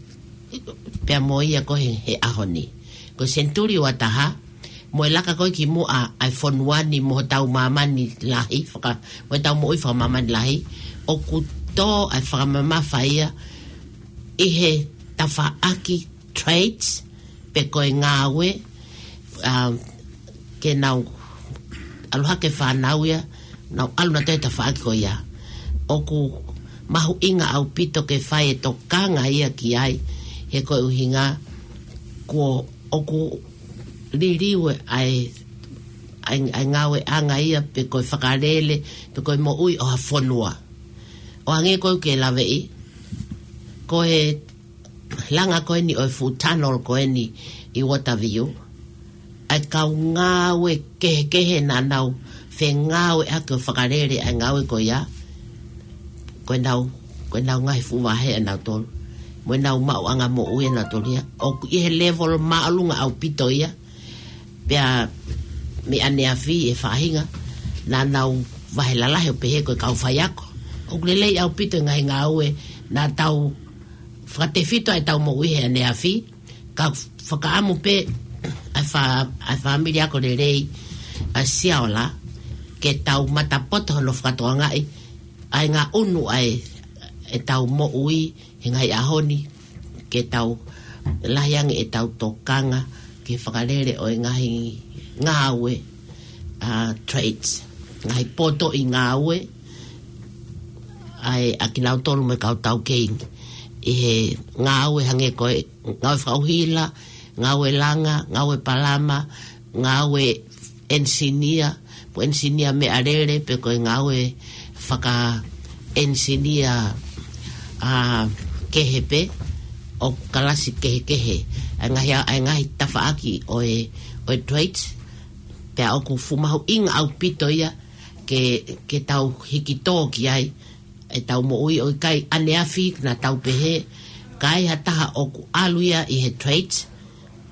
pea mo ia ko ē he, he ʻaho ni. Ko e senituli ua taha, mo e laka ko ē ki muʻa ʻa e fonua ni mo hotau māmani lahi, faka-, mo ʻetau moʻui fakamāmani lahi, ʻoku tō ʻa e fakamamafa ia ʻi he tafaʻaki trades, pe ko e ngāue, um, ke nau ʻalu hake fānau ia, nau ʻalu nautolu he tafaʻaki ko ia. ʻOku mahuʻinga ʻaupito ke fai e tokanga ia ki ai, he ko e ʻuhinga kuo ʻoku liliu ʻa e, ʻa e, ʻa e ngāueʻanga ia pe ko e fakalele, pe ko e moʻui ʻo ha fonua. ʻO hangē ko ē ʻoku ke laveʻi, ko e langa ko eni ʻo e fuʻu tunnel ko eni ʻi Waterview, ʻa e kau ngāue kehekehe naʻa nau fengāueʻaki ʻo fakalele ʻa e ngāue ko ia, ko ʻenau, ko ʻenau ngaahi fuʻu vahe ʻanautolu, mo ʻenau maʻuʻanga moʻui ʻanautolu ia, ʻoku ʻi he level māʻolunga ʻaupito ia, pea mei ʻaneafi e faʻahinga, naʻa nau vahe lalahi ʻo pehē ko e kau faiako. ʻOku lelei ʻaupito e ngaahi ngāue, naʻa tau fakatefito ʻa ʻetau moʻui he ʻaneafi, ka fakaʻamu pē ʻa e fā-, ʻa e fāmili ako lelei ʻa Siaola, ke tau matapoto hono fakatokangaʻi ʻa e ngaʻunu ʻa e, ʻetau moʻui he ngaahi ʻaho ni, ke tau lahi ange ʻetau tokanga ki he fakalele ʻo e ngaahi ngāue, ʻa, trades, ngaahi poto ʻi ngāue, ʻa e, ʻa kinautolu mo e kau taukei ʻi he ngāue hangē ko e ngāue fakaʻuhila, ngāue langa, ngāue palama, ngāue enisinia, pe ko e enisinia meʻalele, pe ko e ngāue fakaenisinia, ʻa, kehe pē, ʻo kalasi kehekehe. ʻA e ngaahi, ʻa e ngaahi tafaʻaki ʻo e, ʻo e trades, pea ʻoku fuʻu mahuʻinga ʻaupito ia ke, ke tau hiki tō ki ai, ʻetau moʻui ʻo ʻikai ʻaneafi naʻa tau pehē, ka ai ha taha ʻoku ʻalu ia ʻi he trades,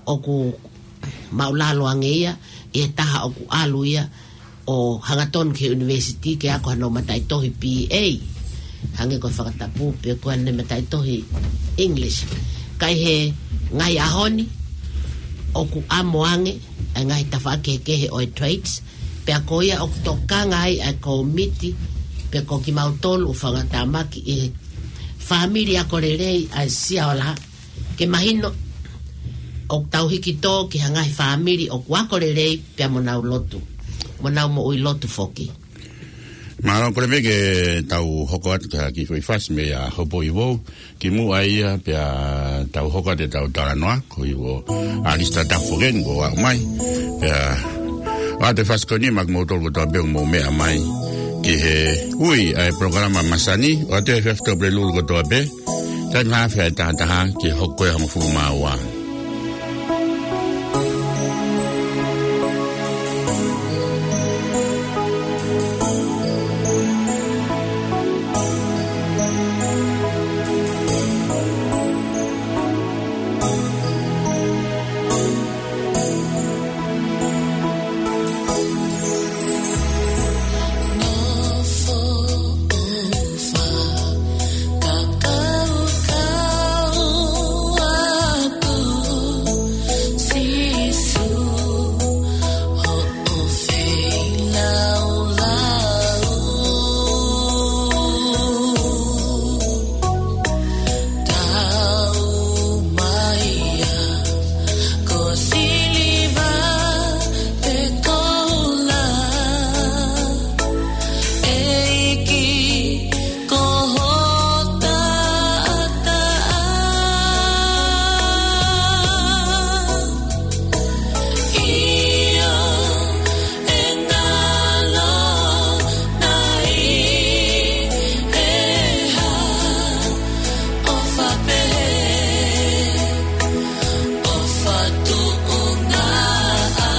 ʻoku māʻulalo ange ia, ʻi he taha ʻoku ʻalu ia ʻo hangatonu ki he university ke ako hano mataʻitohi B A. Hangē ko e fakatapu, pe ko ʻene mataʻitohi English. Ka ʻi he ngaahi ʻaho ni, ʻoku ʻamo ange ʻa e ngaahi tafaʻaki kehekehe ʻo e trades, pea ko ia ʻoku tokanga ai ʻa e kōmiti, pe ko kimautolu ʻoku fakatamaki ʻi he fāmili ako lelei ʻa Siaola, ke mahino ʻoku tau hiki tō ki ha ngaahi fāmili ʻoku ako lelei pea mo nau lotu, mo nau moʻui lotu foki. Mālō, kole pē ke tau hoko atu ki ha kiʻi foʻi fasi meia Hopoʻi Vou, kimuʻa ia pea tau hoko atu ʻetau talanoa, ko ia ʻa Alisita Tafoken kuo aʻu mai. Pea ʻoatu e fasi ko eni maʻa kimoutolu kotoa pē ʻoku mou meʻa mai ki he ui ʻa e polokalama masani, ʻoatu e efiafi Tuʻapulelulu kotoa pē, taimi haafe ʻa e taha taha ki he hoko ʻe hongofulu mā ua. ʻIo, ʻe ngalo nai ʻe ha ʻofa pehē, ʻofa tuʻunga ʻa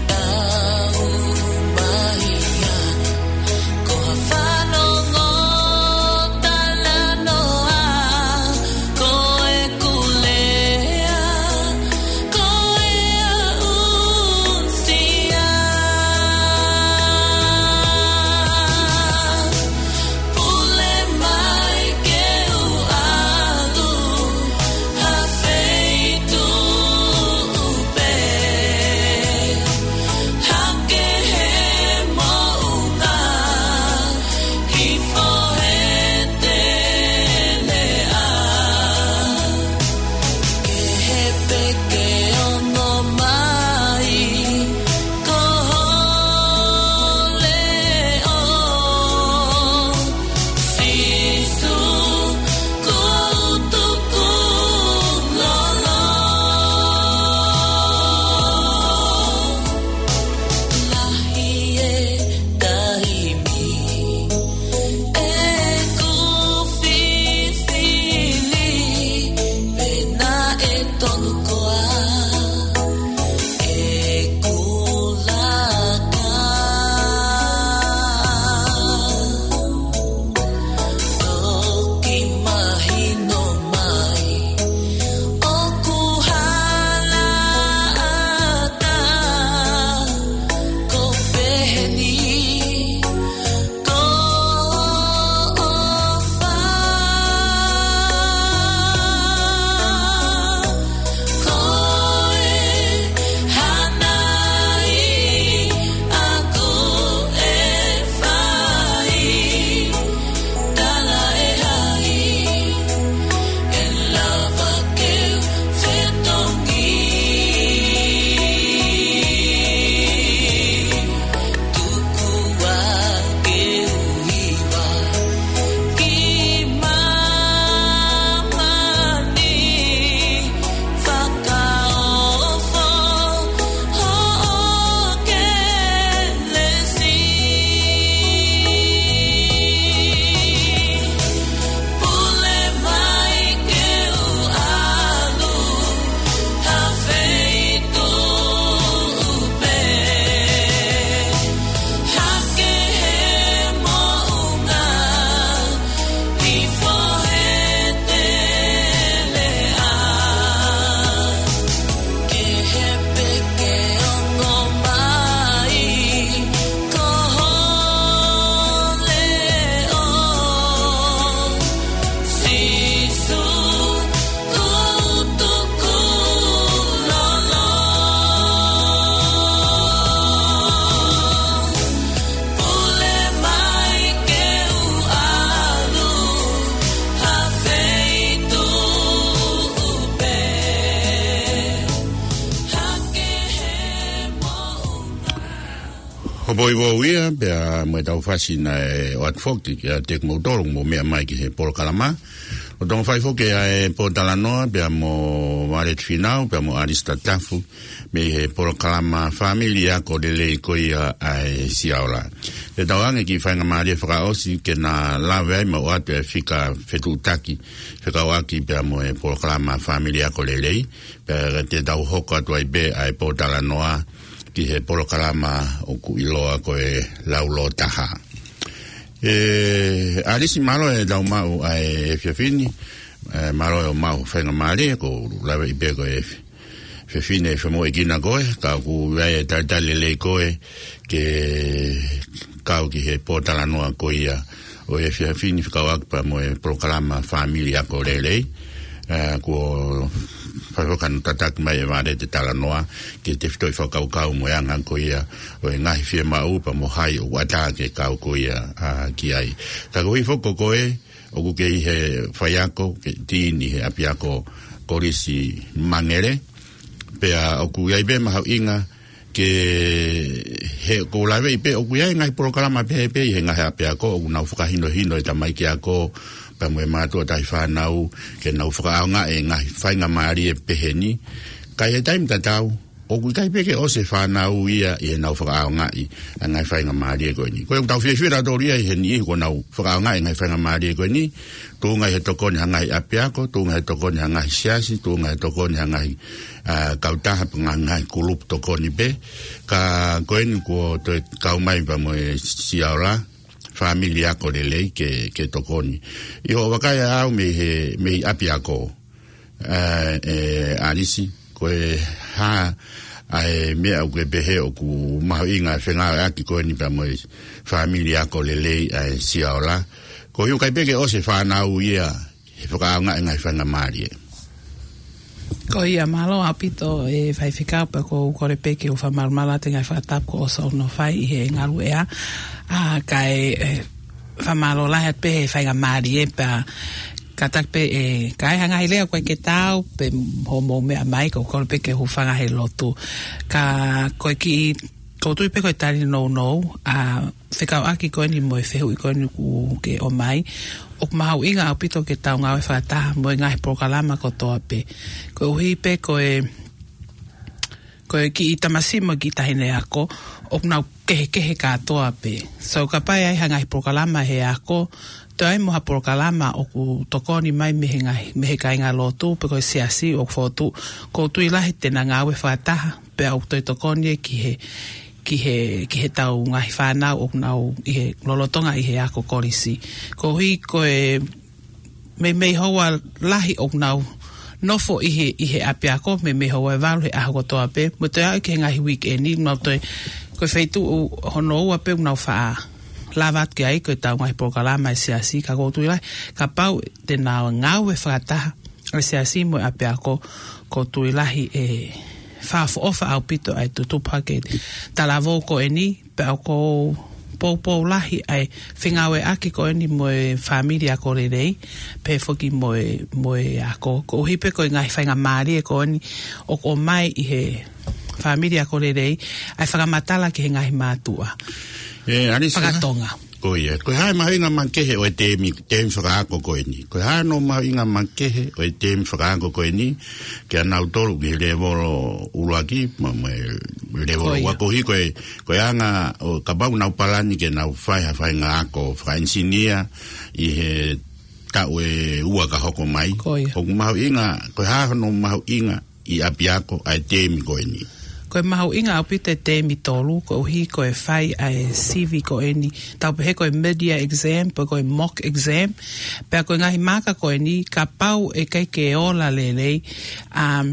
tau mahi ʻa Ko ha fanongo talanoa, ko e kulea, ko e aʻusia. Pule mai ke u ʻalu ha feituʻu pē. Hake he moʻunga, hifo he teleʻa. Kehe pē ke ongo mai, ko ho leʻo. Sīsū, ko u tukulolo. Lahi e taimi ʻeku fifili, pea naʻe tonu koā ʻeku laka. Toki mahino mai ʻoku hala ʻatā, ko peheni ko ʻofa. Ko e hana ʻi ʻaku e fai, tala e hai, ʻe lava ke u fetongi. Tuku ā ke u hiva ki māmani, fakaofo hoʻo kelesi. Pule mai ke u ʻalu ha feituʻu pē. Hake he moʻunga, hifo he teleʻa. Kehe pē ke ongo mai, ko ho leʻo. Sīsū, ko u tukulolo. Pule mai ke u ʻalu ha feituʻu pē. Hake he moʻunga. Hopo i vou ia, pea mo e tau fasi naʻe ʻoatu foki kiate kimoutolu ʻoku mou meʻa mai ki he polokalama. ʻOku tau fai foki ʻa e pōtalanoa, pea mo Violet Finau, pea mo ʻAlisi Tatafu, mei he polokalama Fāmili Ako Lelei ko ia ʻa e Siaola. Te tau ʻoange e kiʻi faingamālie fakaʻosi ke na lave ai mo ʻoatu e fika fetuʻutaki fekauʻaki pea mo e polokalama Fāmili Ako Lelei, pea te tau hoko atu ai pē ʻa e pōtalanoa ki he polokalama ʻoku ʻiloa ko e Laulōtaha. ʻE, ʻAlisi, mālō e tau maʻu ʻa e efiafi ni, ʻe, mālō e maʻu faingamālie, ʻoku ou laveʻi pē ko e fefine femoʻuekina koe, ka ʻoku ʻi ai e talitali lelei koe ke kau ki he pōtalanoa ko ia ʻo e efiafi ni fekauʻaki pea mo e polokalama Fāmili Ako Lelei. ʻE, kuo fai foki hono tataki mai ʻe Violet e talanoa ki he tefitoʻi fakakaukau mo e anga ko ia ʻo e ngaahi fiemaʻu pea mo hai ʻoku ʻatā ke kau ko ia, ʻa, ki ai. Ka koeʻuhi foki ko koe ʻoku ke ʻi he faiako, ke ʻi heni he ʻapiako Kolisi Mangere. Pea ʻoku ʻi ai pē mahuʻinga ke, he ʻoku ou laveʻi pē ʻoku ʻi ai e ngaahi polokalama pehē pē ʻi he ngaahi ʻapiako ʻoku nau fakahinohino e tamaiki ako pea mo e mātuʻa tahi fānau, ke nau fakaʻaongaʻi e ngaahi faingamālie pehē ni. Ka ʻi he taimi tatau, ʻoku ʻikai pē ke ʻosi e fānau ia ʻi heʻenau fakaʻaongaʻi ʻa e ngaahi faingamālie ko eni. Ko ia ʻoku tau fiefia tautolu ia ʻi he niʻihi kuo nau fakaʻaongaʻi e ngaahi faingamālie ko eni, tuʻunga ʻi he tokoni ha ngaahi ʻapiako, tuʻunga ʻi he tokoni ha ngaahi siasi, tuʻunga ʻi he tokoni ha ngaahi, ā, kautaha pe ngaahi, ngaahi kulupu tokoni pē. Ka ko eni kuo toe kau mai pea mo e Siaola Family Ako Lelei ke, ke tokoni. ʻI hoʻo vakai ʻaʻau mei he, mei ʻapiako, ē, ʻe ʻAlisi, ko e hā ʻa e meʻa ʻoku ke pehē ʻoku mahuʻinga e fengāueʻaki ko eni pea mo e Family Ako Lelei ʻa e Siaola. Ko e ʻikai pē ke ʻosi e fānau ia he fakaʻaongaʻi e ngaahi faingamālie. Ko ia, mālō ʻaupito e faifekau, pea ʻoku ou kole pē ke u fakamalumalu atu e ngaahi fakatapu kuo ʻosi hono fai ʻi he ngaluʻea. Ā, kae, ē, fakamālō lahi atu pē he faingamālie pea kātaki pē, ē, ka ʻi ai ha ngaahi lea ʻoku ʻikai ke taau pe hoʻomou meʻa mai, ʻoku ou kole pē ke u hūfanga he lotu. Ka ko e kiʻi, ʻoku ou tui pē ko e tali nounou, ā, fekauʻaki ko eni mo e fehuʻi ko eni ʻoku ke ʻomai, ʻoku mahuʻinga ʻaupito ke tau ngāue fakataha mo e ngaahi polokalama kotoa pē. Koeʻuhi pē ko e, ko e kiʻi tamasiʻi mo e kiʻi taʻahine ako, ʻoku nau kehekehe kātoa pē. So, kapau ʻe ʻi ai ha ngaahi polokalama he ako, toe ʻi ai mo ha polokalama ʻoku tokoni mai mei he ngaahi, mei he kāingalotu, pe ko e siasi ʻoku fotu, ʻoku ou tui lahi te nau ngāue fakataha, pea ʻoku toe tokoni ia ki he, ki he, ki heʻetau ngaahi fānau ʻoku nau ʻi he lolotonga ʻi he ako kolisi. Koeʻuhi ko e meimei houa lahi ʻoku nau nofo ʻi he, ʻi he ʻapiako, meimei houa ʻe valu he ʻaho kotoa pē, mo e toe aʻu ki he ngaahi weekend, nau toe, ko e feituʻu hono ua pē ʻoku nau faʻa lava atu ki ai, ko ʻetau ngaahi polokalama ʻa e siasi, ka ʻoku ou tui lahi, kapau te nau ngāue fakataha ʻa e siasi mo e ʻapiako, ʻoku ou tui lahi ʻe fakaʻofoʻofa ʻaupito ʻa e tutupu hake talavou ko eni, pea ʻoku ou poupou lahi ʻa e fengāueʻaki ko eni mo e Family Ako Lelei, pehē foki mo e, mo e ako. Koeʻuhi pē ko e ngaahi faingamālie ko eni ʻoku ʻomai ʻi he Family Ako Lelei, ʻa e fakamatala ki he ngaahi mātuʻa. Ē, ʻAlisi, fakatonga. Ko ia. Ko e hā e mahuʻinga makehe ʻo e teemi, teemi fakaako ko eni? Ko e hā hono mahuʻinga makehe ʻo e teemi fakaako ko eni kiate kinautolu ʻi he lēvolo ʻuluaki, mo, mo e lēvolo ua? Ko ia. Koeʻuhi ko e, ko e anga, ʻo kapau nau palani ke nau fai ha faʻahinga ako fakaʻenisinia ʻi he taʻu ʻe ua ka hoko mai. Ko ia. ʻOku mahuʻinga, ko e hā hono mahuʻinga ʻi ʻapiako ʻa e teemi ko eni? Ko e mahuʻinga ʻaupito e teemi tolu, koeʻuhi ko e fai ʻa e sivi ko eni, tau pehē ko e mid-year exam, pe ko e mock exam, pea ko e ngaahi maaka ko eni, kapau ʻe ʻikai ke ola lelei, um,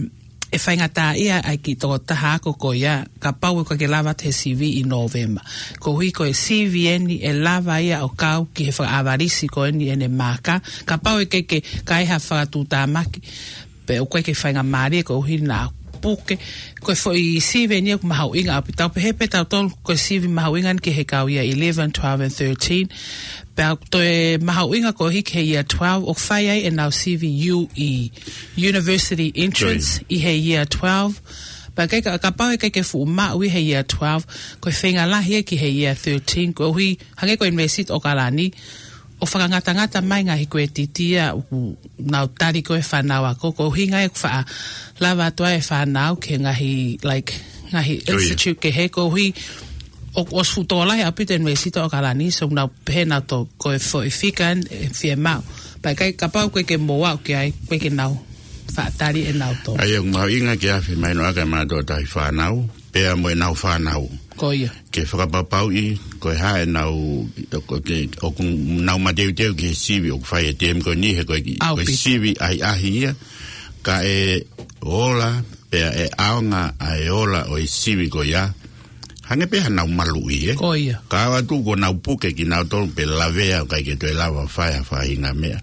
ʻe faingataʻaʻia ʻa e kiʻi tokotaha ako ko ia, kapau ʻe ʻikai ke lava atu he sivi ʻi Nōvema. Koeʻuhi ko e sivi eni ʻe lava ia ʻo kau ki he fakaʻavalisi ko eni ʻene maaka, kapau ʻe ʻikai ke, ka ʻi ai ha fakatuʻutāmaki, pe ʻoku ʻikai ke faingamālie, koeʻuhi naʻa puke. Ko e foʻi sivi eni ʻoku mahuʻinga ʻaupito. Tau pehē pē tautolu ko e sivi mahuʻinga eni ki he kau ia eleven, twelve and thirteen. Pea toe mahuʻinga koeʻuhi ki he year twelve, ʻoku fai ai ʻenau sivi U E, University Entrance, ʻi he year twelve. Pea ʻikai ka, kapau ʻe ʻikai ke fuʻu maʻu ʻi he year twelve, ko e feinga lahi ia ki he year thirteen, koeʻuhi, hangē ko e University ʻAokalani, ʻoku fakangatangata mai ngaahi kuletiti ia ʻoku nau tali ko ē fānau ako, koeʻuhi ngaahi ʻoku faʻa lava atu ai e fānau ki he ngaahi, like, ngaahi institute kehe, koeʻuhi ʻoku ʻosi fuʻu tokolahi ʻaupito e University ʻAokalani, so nau pehē nautolu ko e foʻi fika eni ʻe fiemaʻu. Pea ʻikai, kapau ʻe ʻikai ke mou aʻu ki ai, ʻikai ke nau faʻa tali ʻe nautolu. ʻA ia ʻoku mahuʻinga ke afe mai noa ka mātuʻa tahi fānau, pea mo ʻenau fānau. Ko ia. Ke fakapapauʻi, ko e hā ʻenau, ko e, ʻoku nau mateuteu ki he sivi ʻoku fai he teemi ko eni, he ko e, ko e sivi ʻahiʻahi ia, kae ola, pea ʻe ʻaonga ʻa e ola ʻo e sivi ko ia, hangē pē haʻanau maluʻi, ē? Ko ia. Ka ʻoua atu kuo nau puke kinautolu pe lavea ʻo ʻikai ke toe lava fai ha faʻahinga meʻa.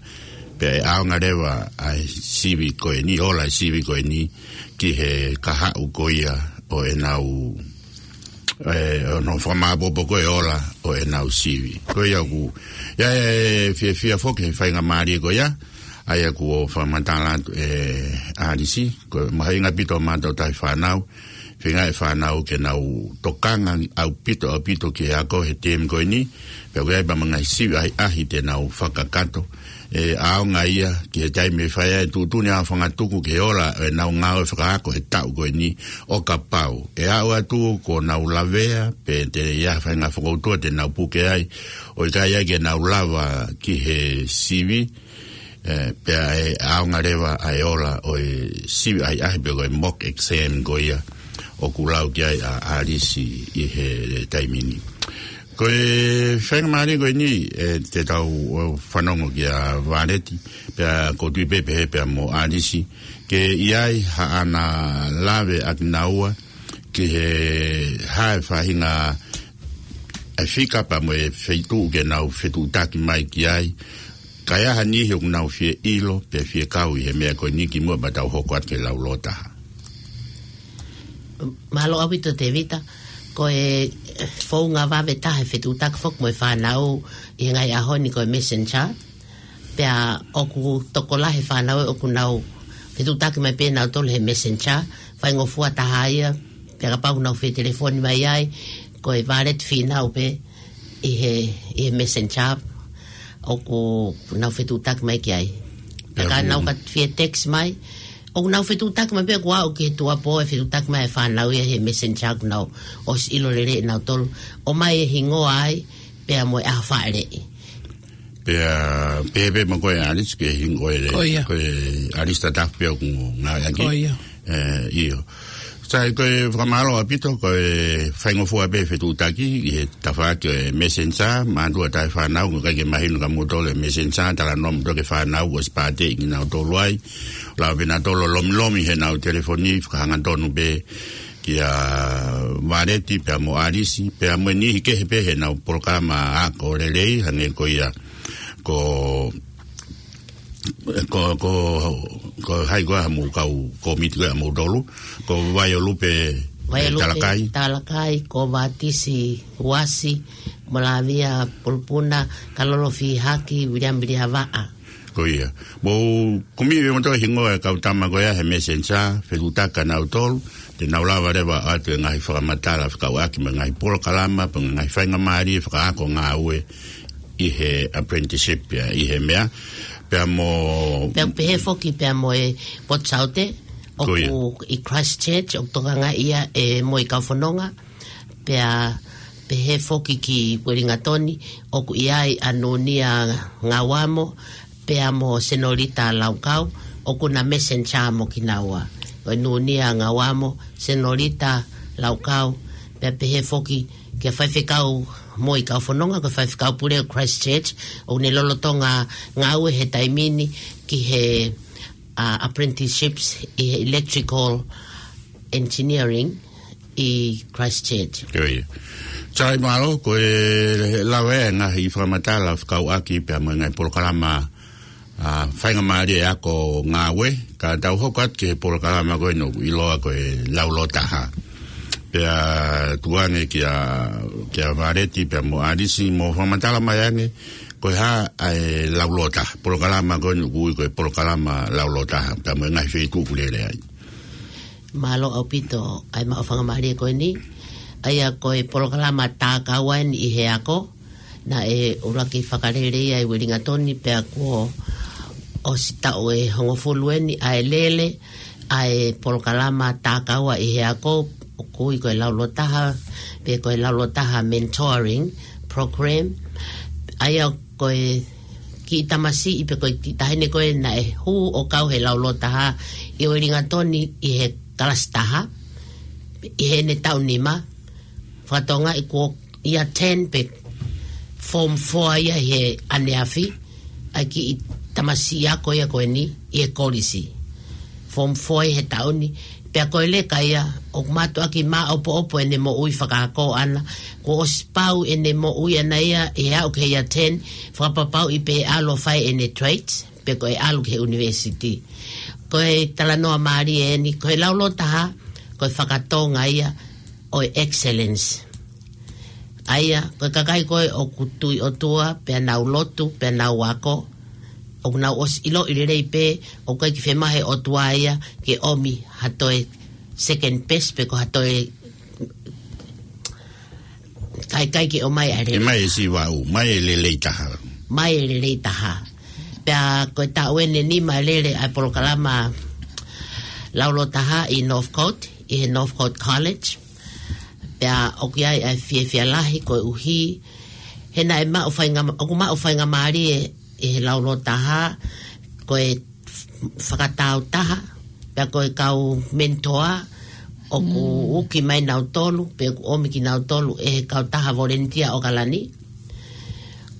Pea ʻe ʻaonga leva ʻa e sivi ko eni, ola e sivi ko eni, ki he kahaʻu ko ia ʻo ʻenau, ē, ʻo hono fakamāʻopoʻopo ko e ola ʻo ʻenau sivi. Ko ia ʻoku, ia ʻe fiefia foki he faingamālie ko ia, ʻa ia kuo fakamatala atu ʻe ʻAlisi, ko e mahuʻinga ʻaupito ʻa e mātuʻa tahi fānau, feinga e fānau ke nau tokanga ʻaupito, ʻaupito ki he ako he tēmi ko eni, pea ʻoku ʻi ai pea mo e ngaahi sivi ʻahiʻahi te nau fakakakato. ʻE ʻaonga ia ki he taimi ʻe fai ai e tuʻutuʻuni ʻa e fanga tuku ki he ola ʻenau ngāue fakaako he taʻu ko eni ʻo kapau ʻe aʻu atu kuo nau lavea, pe te ʻi ai ha faʻahinga fokoutua te nau puke ai, ʻo ʻikai ai ke nau lava ki he sivi, ē, pea ʻe ʻaonga leva ʻa e ola ʻo e sivi ʻahiʻahi pe ko e mock exam ko ia ʻoku lau ki ai ʻa ʻAlisi ʻi he taimi ni. Ko e faingamālie ko eni, ē, te tau ō fanongo kia Vāleti, pea ʻoku ou tui pē pehē pea mo ʻAlisi, ke ʻi ai haʻana lave ʻa kinaua ki he hā e faʻahinga e fika pea mo e feituʻu ke nau fetuʻutaki mai ki ai, kae ʻi ai ha niʻihi ʻoku nau fie ʻilo pe fie kau ʻi he meʻa ko eni kimuʻa pea tau hoko atu ki he laulotaha. Mālō ʻaupito Tēvita, ko e founga vave taha e fetuʻutaki foki mo e fānau ʻi he ngaahi ʻaho ni ko e Messenger, pea ʻoku tokolahi e fānau ʻoku nau fetuʻutaki mai pē nautolu he Messenger, faingofua taha ia, pea kapau ʻoku nau fetelefoni mai ai, ko e Vāleti Fīnau pē ʻi he, ʻi he Messenger, ʻoku nau fetuʻutaki mai ki ai. Pea ka nau ka fie text mai, ʻoku nau fetuʻutaki mai pē kuo aʻu ki he tuʻuapō e fetuʻutaki mai e fānau ia he Messenger kuo nau ʻosi ʻilo lelei ʻe nautolu. ʻOmai e hingoa ai, pea mo e ʻaho fāʻeleʻi. Pea, pehē pē mo koe ʻAlisi ke hingoa e, ko ia, ko e ʻAlisi Tatafu pē ʻoku ngāueʻaki. Ko ia. Ē, ʻio. Sai, ko e fakamālō ʻaupito, ko e faingofua pē fetuʻutaki ʻi he tafaʻaki ʻo e Messenger, mātuʻa taʻe fānau, ʻoku ʻikai ke mahino kia moutolu e Messenger, talanoa moutolu ki he fānau, ʻosi pāteʻi kinautolu ai, lava pē nautolu ʻo lomilomi heʻenau telefoni, fakahangatonu pē kia Vāleti, pea mo ʻAlisi, pea mo e niʻihi kehe pē heʻenau polokalama ako lelei, hangē ko ia, ko ko, ko, ko hai ko ā mo e kau kōmiti ko ē ʻa moutolu, ko Vaiolupe, Vaiolupe Talakai. Talakai, ko Vātisi Uasi, Molavia Pulupuna, Kalolo Fihaki, Viliami Vilihavaʻa. Ko ia. Mou kumi pē moutolu e hingoa e kau tama ko ia he Messenger, fetuʻutaki kia nautolu, te nau lava leva ʻo ʻoatu e ngaahi fakamatala fekauʻaki mo e ngaahi polokalama, pe ngaahi faingamālie fakaako ngāue ʻi he apprenticeship ia, ʻi he meʻa, pea mo Pea pehē foki pea mo e Port Saute, ko ia, ʻoku ʻi Christchurch, ʻoku tokangaʻi ia ʻe Moʻi Kaufononga, pea pehē foki ki Uelingatoni, ʻoku ʻi ai ʻa Nunia Ngauamo, pea mo Senolita Laukau, ʻoku na Messenger mo kinaua. Ko e Nunia Ngauamo, Senolita Laukau, pea pehē foki kia Faifekau Moʻi Kaufononga, ko e Faifekau Pule ʻo Christchurch, ʻoku ne lolotonga ngāue he taimi ni ki he, ā, apprenticeships ʻi he electrical engineering ʻi Christchurch. Ko ia. Sai, mālō, ko e lava e ngaahi fakamatala fekauʻaki pea mo e ngaahi polokalama, ā, faingamālie ako ngāue, ka tau hoko atu ki he polokalama ko eni ʻoku ʻiloa ko e Laulotaha. Pea tuku ange kia, kia Vāleti pea mo ʻAlisi mo fakamatala mai ange, ko e hā ʻa e Laulotaha, polokalama ko eni ʻoku ui ko e polokalama Laulotaha, pea mo e ngaahi feituʻu ʻoku lele ai. Mālō ʻaupito ʻa e maʻu faingamālie ko eni. ʻA ia ko e polokalama tākau eni ʻi he ako, naʻe ʻuluaki fakalele ia ʻi Uelingatoni, pea kuo ʻosi taʻu ʻe hongofulu eni ʻa e lele ʻa e polokalama tākau ʻi he ako, ʻoku ui ko e Laulotaha, pe ko e Laulotaha Mentoring Program. ʻA ia ko e kiʻi tamasiʻi pe ko e kiʻi taʻahine ko ē naʻe hū ʻo kau he Laulotaha ʻi Uelingatoni ʻi he kalasi taha, ʻi heʻene taʻu nima, fakatokangaʻi kuo year ten pe form four ia he ʻaneafi, ʻa e kiʻi tamasiʻi ako ia ko eni ʻi he kolisi. Form four ia he taʻu ni, pea ko e leka ia, ʻoku mātuʻaki māʻopoʻopo ʻene moʻui fakaako ʻana, kuo ʻosi pau ʻene moʻui ʻana ia ʻi he aʻu ki he year ten, fakapapauʻi pe ʻe ʻalu ʻo fai ʻene trades, pe ko e ʻalu ki he university. Ko e talanoa mālie eni, ko e Laulotaha, ko e fakatonga ia ʻo e excellence. ʻA ia, ko e kakai ko ē ʻoku tui ʻOtua, pea nau lotu, pea nau ako, ʻoku nau ʻosi ʻiloʻi lelei pē, ʻoku ʻikai ke fiemaʻu ʻe he ʻOtua ia ke ʻomi ha toe second best pe ko ha toe kaikai ke ʻomai ʻa e lelei. ʻOmai e siva ʻu, ʻomai e lelei taha. ʻOmai e lelei taha. Pea ko e taʻu ʻeni ʻe nima ʻe lele ʻa e polokalama laulōtaha ʻi Northcote, ʻi he Northcote College. Pea ʻoku ʻi ai ʻa e fiefia lahi koeʻuhi he naʻe maʻu fainga-, ʻoku maʻu faingamālie ʻi he laulōtaha, ko e fakatāutaha, pea ko e kau mentor, ʻoku uki mai nautolu, pe ʻoku ʻomi kinautolu ʻe he kautaha volunteer ʻAokalani,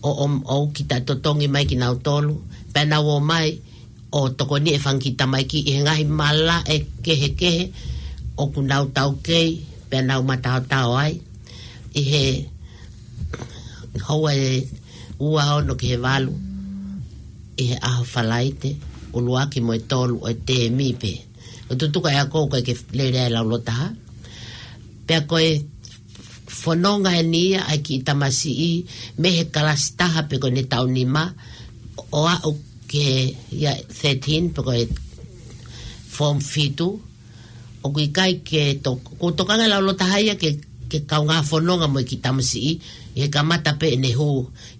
ʻo, ʻo, ʻo uki taʻetotongi mai kinautolu, pea nau ō mai ʻo tokoni e fanga kiʻi tamaiki ʻi he ngaahi malaʻe kehekehe ʻoku nau taukei, pea nau mataotao ai, ʻi he houa ʻe ua ono ki he valu ʻi he ʻaho Falaite, ʻuluaki mo e tolu ʻo e temi pē. ʻO tutuka e ako ʻoku ʻikai ke lele ai e laulōtaha. Pea ko e fononga ʻeni ia ʻa e kiʻi tamasiʻi mei he kalasi taha pe ko ʻene taʻu nima ʻo aʻu ki he ia thirteen pe ko e form fitu. ʻOku ʻikai ke to-, ʻoku tokanga e laulōtaha ia ke, ke kaungā fononga mo e kiʻi tamasiʻi ʻi he kamata pē ʻene hū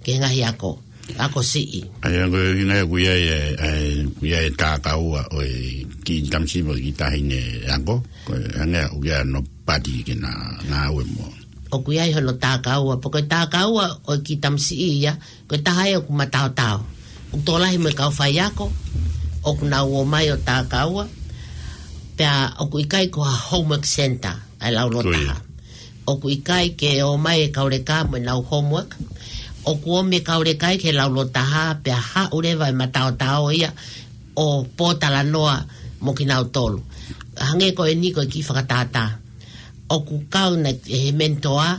ki he ngaahi ako, ako siʻi. ʻA ia ko e ʻuhinga ia ʻoku ʻi ai e, ʻa e, ʻoku ʻi ai e tākaua ʻo e kiʻi tamasiʻi mo e kiʻi taʻahine ako, ko e hangē ʻoku ʻi ai hono pati ke na ngāue mo. ʻOku ʻi ai hono tākaua, pea ko e tākaua ʻo e kiʻi tamasiʻi ia, ko e taha ia ʻoku mataotao. ʻOku tokolahi mo e kau faiako ʻoku nau ō mai ʻo tākaua, pea ʻoku ʻikai ko ha homework center ʻa e laulōtaha. Ko ia. ʻOku ʻikai ke ō mai e kau leka mo ʻenau homework. ʻOku ō mai e kau leka ia ki he laulōtaha, pea haʻu leva e mataotao ia ʻo pōtalanoa mo kinautolu. Hangē ko ʻeni ko e kiʻi fakatātā. ʻOku kau na ʻe he mentor ʻa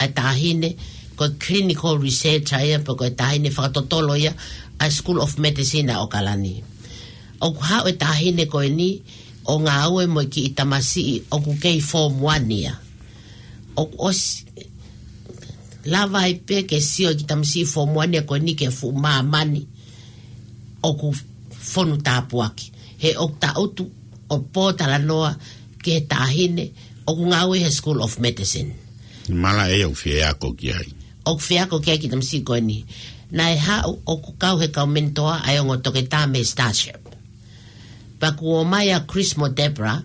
e taʻahine, ko e clinical researcher ia, pe ko e taʻahine fakatotolo ia ʻa e School of Medicine ʻa ʻAokalani. ʻOku haʻu e taʻahine ko ʻeni ʻo ngāue mo e kiʻi tamasiʻi ʻoku kei form one ia. ʻOku ʻosi lava ai pē ke sio e kiʻi tamasiʻi form one ia ko ʻeni ki he fuʻu māmani ʻoku fonu tāpuaki. He ʻoku tangutu ʻo pōtalanoa ki he taʻahine ʻoku ngāue he School of Medicine. Malaʻe ia ʻoku fie ako ki ai. ʻOku fie ako ki ai e kiʻi tamasiʻi ko ʻeni. Naʻe haʻu ʻoku kau he kau mentor ʻa e ongo toketā mei Starship. Pea kuo ō mai ʻa Chris mo Deborah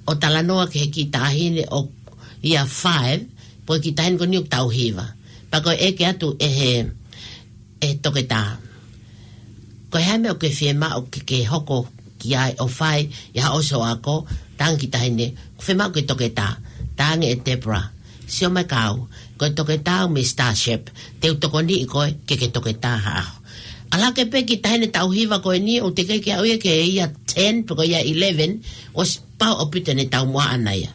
ʻo talanoa ki he kiʻi taʻahine ʻoku year five, pea ko e kiʻi taʻahine ko ʻeni ʻoku taʻu hiva. Pea ko e ʻeke atu ʻe he, ʻe he toketā, ko e hā e meʻa ʻoku ke fiemaʻu ke, ke hoko ki ai ʻo fai ʻi haʻo ʻosi hoʻo ako? Talaange e kiʻi taʻahine, ʻoku ou fiemaʻu ke toketā. Talaange ʻe Deborah, sio mai kia au, ko e toketā au mei Starship, te u tokoniʻi koe ke ke toketā ha ʻaho. ʻAlu hake pē e kiʻi taʻahine taʻu hiva ko ʻeni, ʻoku teʻeki ke aʻu ia ki he year ten, pe ko e year eleven, ʻosi pau ʻaupito ʻene taumuʻa ʻaʻana ia.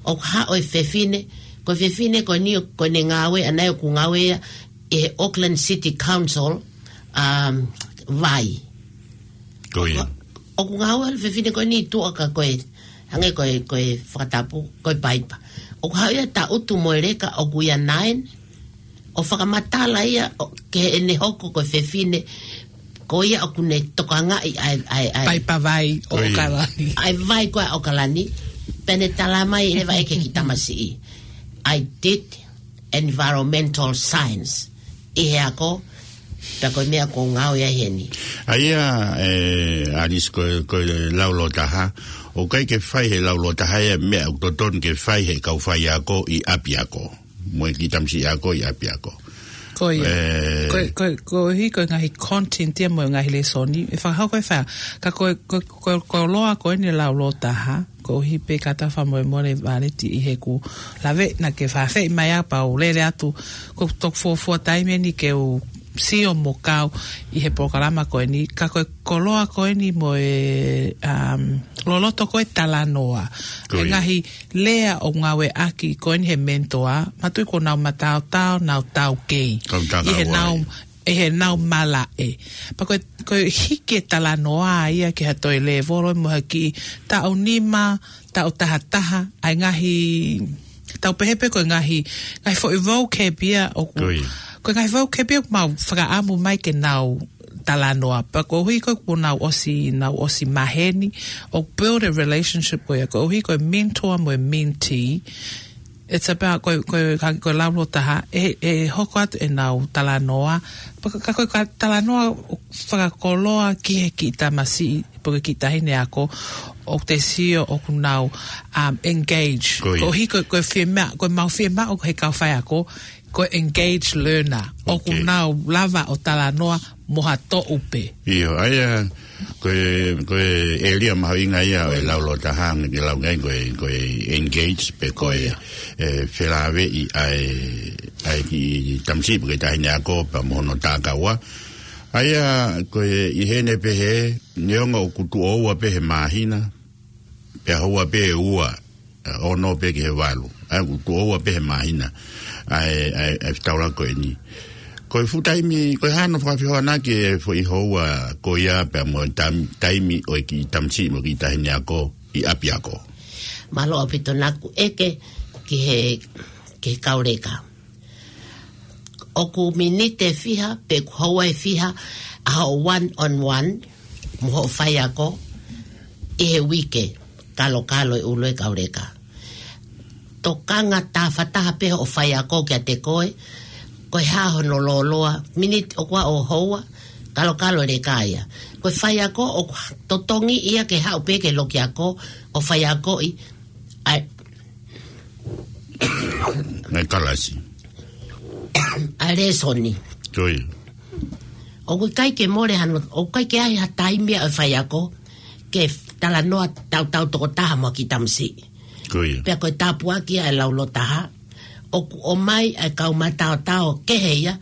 ʻOku haʻu e fefine, ko e fefine ko ʻeni, ko ʻene ngāue ʻaʻana ia ʻoku ngāue ia ʻi he Auckland City Council, um, vai. Ko ia. ʻOku ngāue e fefine ko ʻeni ʻi tuʻa ka ko e, hangē ko e, ko e fakatapu, ko e paipa. ʻOku haʻu ia ʻo tangutu mo e leka ʻoku year nine, ʻo fakamatala ia ʻo, ki heʻene hoko ko e fefine, ko ia ʻoku ne tokangaʻi ʻa e, ʻa e, ʻa e paipa vai ʻo ʻAokalani. ʻA e vai ko ē ʻa ʻAokalani, pea ne tala mai leva ʻe he kiʻi tamasiʻi, I did environmental science ʻi he ako, pea ko e meʻa ʻoku ou ngāue ai heni. ʻA ia, ʻe, Alice, ko, ko e laulōtaha, ʻoku ʻikai ke fai he laulōtaha ia e meʻa ʻoku totonu ke fai he kau faiako ʻi ʻapiako mo e kiʻi tamasiʻi ako ʻi ʻapiako. Ko ia. ʻE, ko, ko, koeʻuhi ko e ngaahi content ia mo e ngaahi lēsoni ʻe fakahoko ʻe fai. Ka ko, ko, ko, ko e koloa ko ʻeni e laulōtaha, koeʻuhi pē ka ta fakamolemole Valeti ʻi heʻeku lave naʻa ke fakaafeʻi mai au pea u lele atu, ko e toki fuofua taimi ʻeni ke u sio mo kau ʻi he polokalama ko ʻeni, ka ko e koloa ko ʻeni mo e, um, loloto ko ē talanoa. Ko ia. E ngaahi lea ʻoku ngāueʻaki ko ʻeni ʻe he mentor, manatuʻi kuo nau mataotao, nau taukei. Kau tākau ʻi heʻenau, ai. ʻI heʻenau malaʻe. Pea ko e, ko e hiki e talanoa ia ki ha toe lēvolo mo ha kiʻi taʻu nima, taʻu taha taha, ʻa e ngaahi, tau pehē pē ko e ngaahi, ngaahi foʻi vocab ia ʻoku, ko ia. Ko e ngaahi vocab ia ʻoku mau fakaʻamu mai ke nau talanoa. Pea koeʻuhi ko ē kuo nau ʻosi, nau ʻosi maheni, ʻoku build a relationship ko ia, koeʻuhi ko e mentor mo e mentee. It's about ko e, ko e, ka, ko e lau lōtaha, ʻe, ʻe hoko atu ʻenau talanoa. Pea ka, ka ko e ka talanoa fakakoloa ki he kiʻi tamasiʻi, pe ko e kiʻi taʻahine ako, ʻoku te sio ʻoku nau, um, engage. Ko ia. Koeʻuhi ko, ko e fiemaʻu, ko e mau fiemaʻu ʻoku he kau faiako, ko e engage learner. ʻOku Okay. nau lava ʻo talanoa mo ha toʻu pē. ʻIo, ʻa ia, ko e, ko e ʻēlia mahuʻinga ia ʻo e lau lōtaha, ke lau ngai ko e, ko e engage pe ko e, Ko ia. e, felāveʻi ʻa e, ʻa e kiʻi tamasiʻi pe ko e taʻahine ako pea mo hono takaua. ʻA ia, ko e ʻi heni pehē, neongo ʻoku tuʻo ua pē he māhina, pea houa pē ʻe ua, ʻa, ono pē ki he valu. ʻA ia ʻoku tuʻo ua pē he māhina. ʻA e, ʻa e, ʻa e fetaulaki ko eni. Ko e fuʻu taimi, ko e hā hono fakafehoanaki e foʻi houa ko ia pea mo e tam-, taimi ʻo e kiʻi tamasiʻi mo e kiʻi taʻahine ako ʻi ʻapiako. Mālō ʻaupito naʻa ku ʻeke ki he, ki he kau leka. ʻOku miniti ʻe fiha, pe ʻoku houa ʻe fiha, ʻa hoʻo one on one, mo hoʻo faiako, ʻi he uike, kalokalo e ʻulu e kau leka. Tokanga tafataha pē hoʻo faiako kiate koe, ko e hā hono lōloa, miniti ʻoku ʻa hoʻo houa, kalokalo e leka ia. Ko e faiako, ʻoku totongi ia ke haʻu pē ki he lokiako, ʻo faiakoʻi, ʻa e ʻa e kalasi. ʻA e lēsoni. Ko ia. ʻOku ʻikai ke mole hano, ʻoku ʻikai ke ʻi ai ha taimi ʻa e faiako, ke talanoa tautau tokotaha mo e kiʻi tamasiʻi. Ko ia. Pea ko e tāpuaki ʻa e lau lōtaha, ʻoku ʻomai ʻa e kau mataotao kehe ia,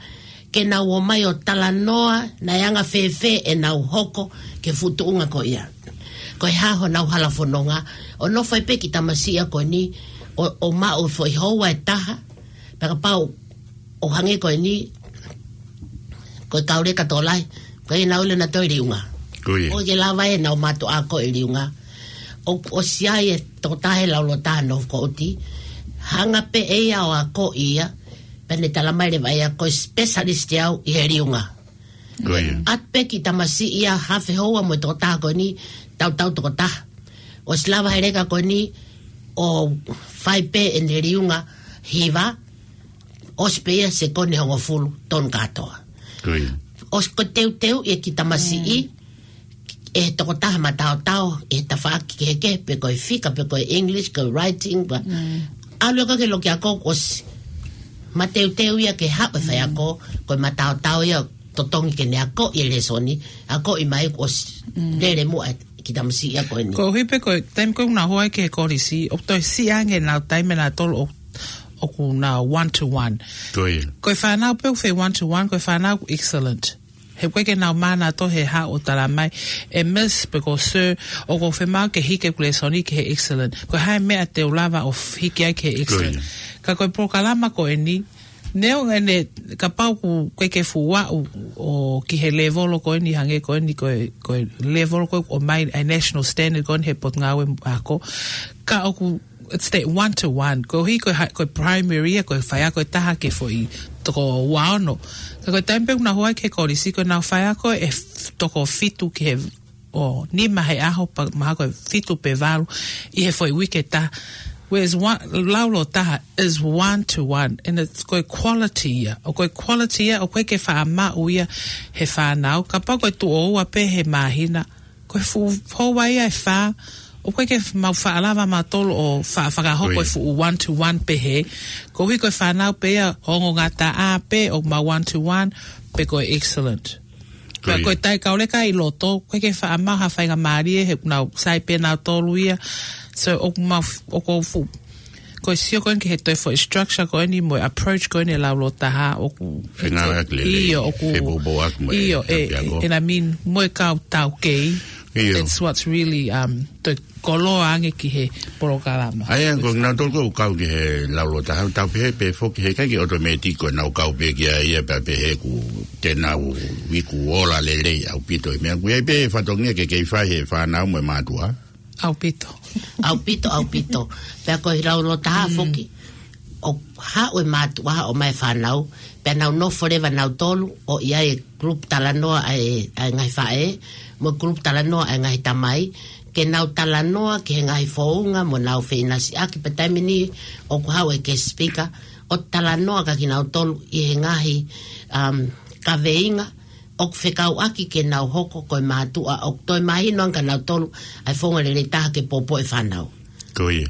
ke nau ō mai ʻo talanoa naʻe anga fēfē ʻenau hoko ki he fuʻu tuʻunga ko ia. Ko e hā honau hala fononga, ʻo nofo ai pē kiʻi tamasiʻi ia ko eni, ʻo, ʻo maʻu foʻi houa ʻe taha, pea kapau ʻo hangē ko eni, ko e kau leka tokolahi, ko ʻenau ʻilo nautolu ʻi liunga. Ko ia. ʻOku ʻikai ke lava ʻenau mātuʻa ako ʻi liunga. ʻO, ʻosi ʻi ai e tokotaha he lau lōtaha nofo ʻo ʻuti, hanga pē ʻe ia ʻo akoʻi ia, pea ne talamai leva ia ko e specialist au ʻi he liunga. Ko ia. ʻAtu pē kiʻi tamasiʻi ia hafe houa mo e tokotaha ko eni, tautau tokotaha. ʻOsi lava he leka ko eni, ʻo fai pē ʻene liunga hiva, ʻosi pē ia sekoni hongofulu, tonu kātoa. Ko ia. ʻOsi ko e teuteu ia kiʻi tamasiʻi, Mm. ʻe he tokotaha mataotao, ʻi he tafaʻaki kehekehe, pe ko e fika, pe ko e English, ko e writing, pea Mm. ʻalu ia ki he lokiako ʻosi. Mateuteu ia ke haʻu e faiako, Mm. ko e mataotao ia totongi ke ne akoʻi e lēsoni, akoʻi mai ʻosi. Mm. Lele muʻa e kiʻi tamasiʻi ia ko eni. Koeʻuhi pē ko e taimi ko ē ʻoku nau hū ai ki he kolisi, ʻoku toe siʻi ange ʻenau taimi ʻanautolu ʻo, ʻoku nau one to one. Ko ia. Ko e fānau pē ʻoku fai one to one, ko e fānau ʻoku excellent. He ʻoku ʻikai ke nau mānava ʻe he haʻu ʻo talamai, ʻe Miss pe ko Sir, ʻoku ou fiemaʻu ke hiki ʻeku lēsoni ki he excellent. Ko e hā e meʻa te u lava ʻo f-, hiki ai ki he Ko ia. excellent. Ka ko e polokalama ko eni, neongo ʻene kapau ʻoku ʻikai ke fuʻu aʻu ʻo ki he lēvolo ko eni hangē ko eni ko e, ko e lēvolo ko ē ʻoku ʻomai ʻa e national standard ko eni he potungāue ako. Ka ʻoku it's that one to one. Koeʻuhi ko e ha-, ko e primary ia, ko e faiako ʻe taha ki he foʻi toko ua ono. Ka ko e taimi pē ʻoku nau hū ai ki he kolisi, ko ʻenau faiako ʻe f-, toko fitu ki he, ʻo nima he ʻaho pea mahalo ko e fitu pe valu ʻi he foʻi uike ʻe taha. Whereas one, lau lōtaha is one to one. And it's ko e quality ia. ʻOku ko e quality ia, ʻoku ʻikai ke faʻa maʻu ia he fānau. Kapau ko e tuʻo ua pē he māhina, ko e fuʻu houa ia ʻe fā, ʻoku ʻikai ke f-, mau faʻa lava mautolu ʻo fa-, fakahoko Ko ia. e fuʻu one to one pehē. Koeʻuhi ko e fānau pē ia ʻo ongo ngataʻa pē ʻoku mau one to one, pe ko e excellent. Ko Pea ia. ko e taʻe kau leka ʻi loto, ʻoku ʻikai ke faʻa maʻu ha faingamālie he ʻoku nau sai pē nautolu ia. So ʻoku mau f-, ʻoku ou fuʻu Ko e sio ko eni ki he toe foʻi structure ko eni mo e approach ko eni e lau lōtaha ʻoku Fengāueʻaki lelei, ʻIo, ʻoku fepōpōʻaki mo e ʻIo, e, ʻapiako. e, and I mean, mo e kau taukei. ʻIo. That's what's really, um, toe koloa ange ki he polokalama. ʻA ia, ko nautolu ʻoku kau ki he lau lōtaha, tau pehē pē foki he ʻikai ke automatic ko ʻenau kau pē ki ai ia pea pehē ʻoku te nau iku ola lelei ʻaupito. Meʻa ʻoku ʻi ai pē fatongia ke kei fai he fānau mo e mātuʻa. ʻAupito. ʻAupito, ʻaupito. Pea ko e lau lōtaha Mm. foki. ʻoku haʻu e mātuʻa ʻo ʻomai e fānau, pea nau nofo leva nautolu, ʻo ʻi ai e group talanoa ʻa e, ʻa e ngaahi faʻē, mo e group talanoa ʻa e ngaahi tamai, ke nau talanoa ki he ngaahi founga mo nau feʻinasiʻaki, pea taimi ni ʻoku haʻu e guest speaker, ʻo talanoa kia kinautolu ʻi he ngaahi, um, kaveinga, ʻoku fekauʻaki ke nau hoko ko e mātuʻa, ʻoku toe mahino ange kia nautolu ʻa e founga lelei taha ke poupou e fānau. Ko ia.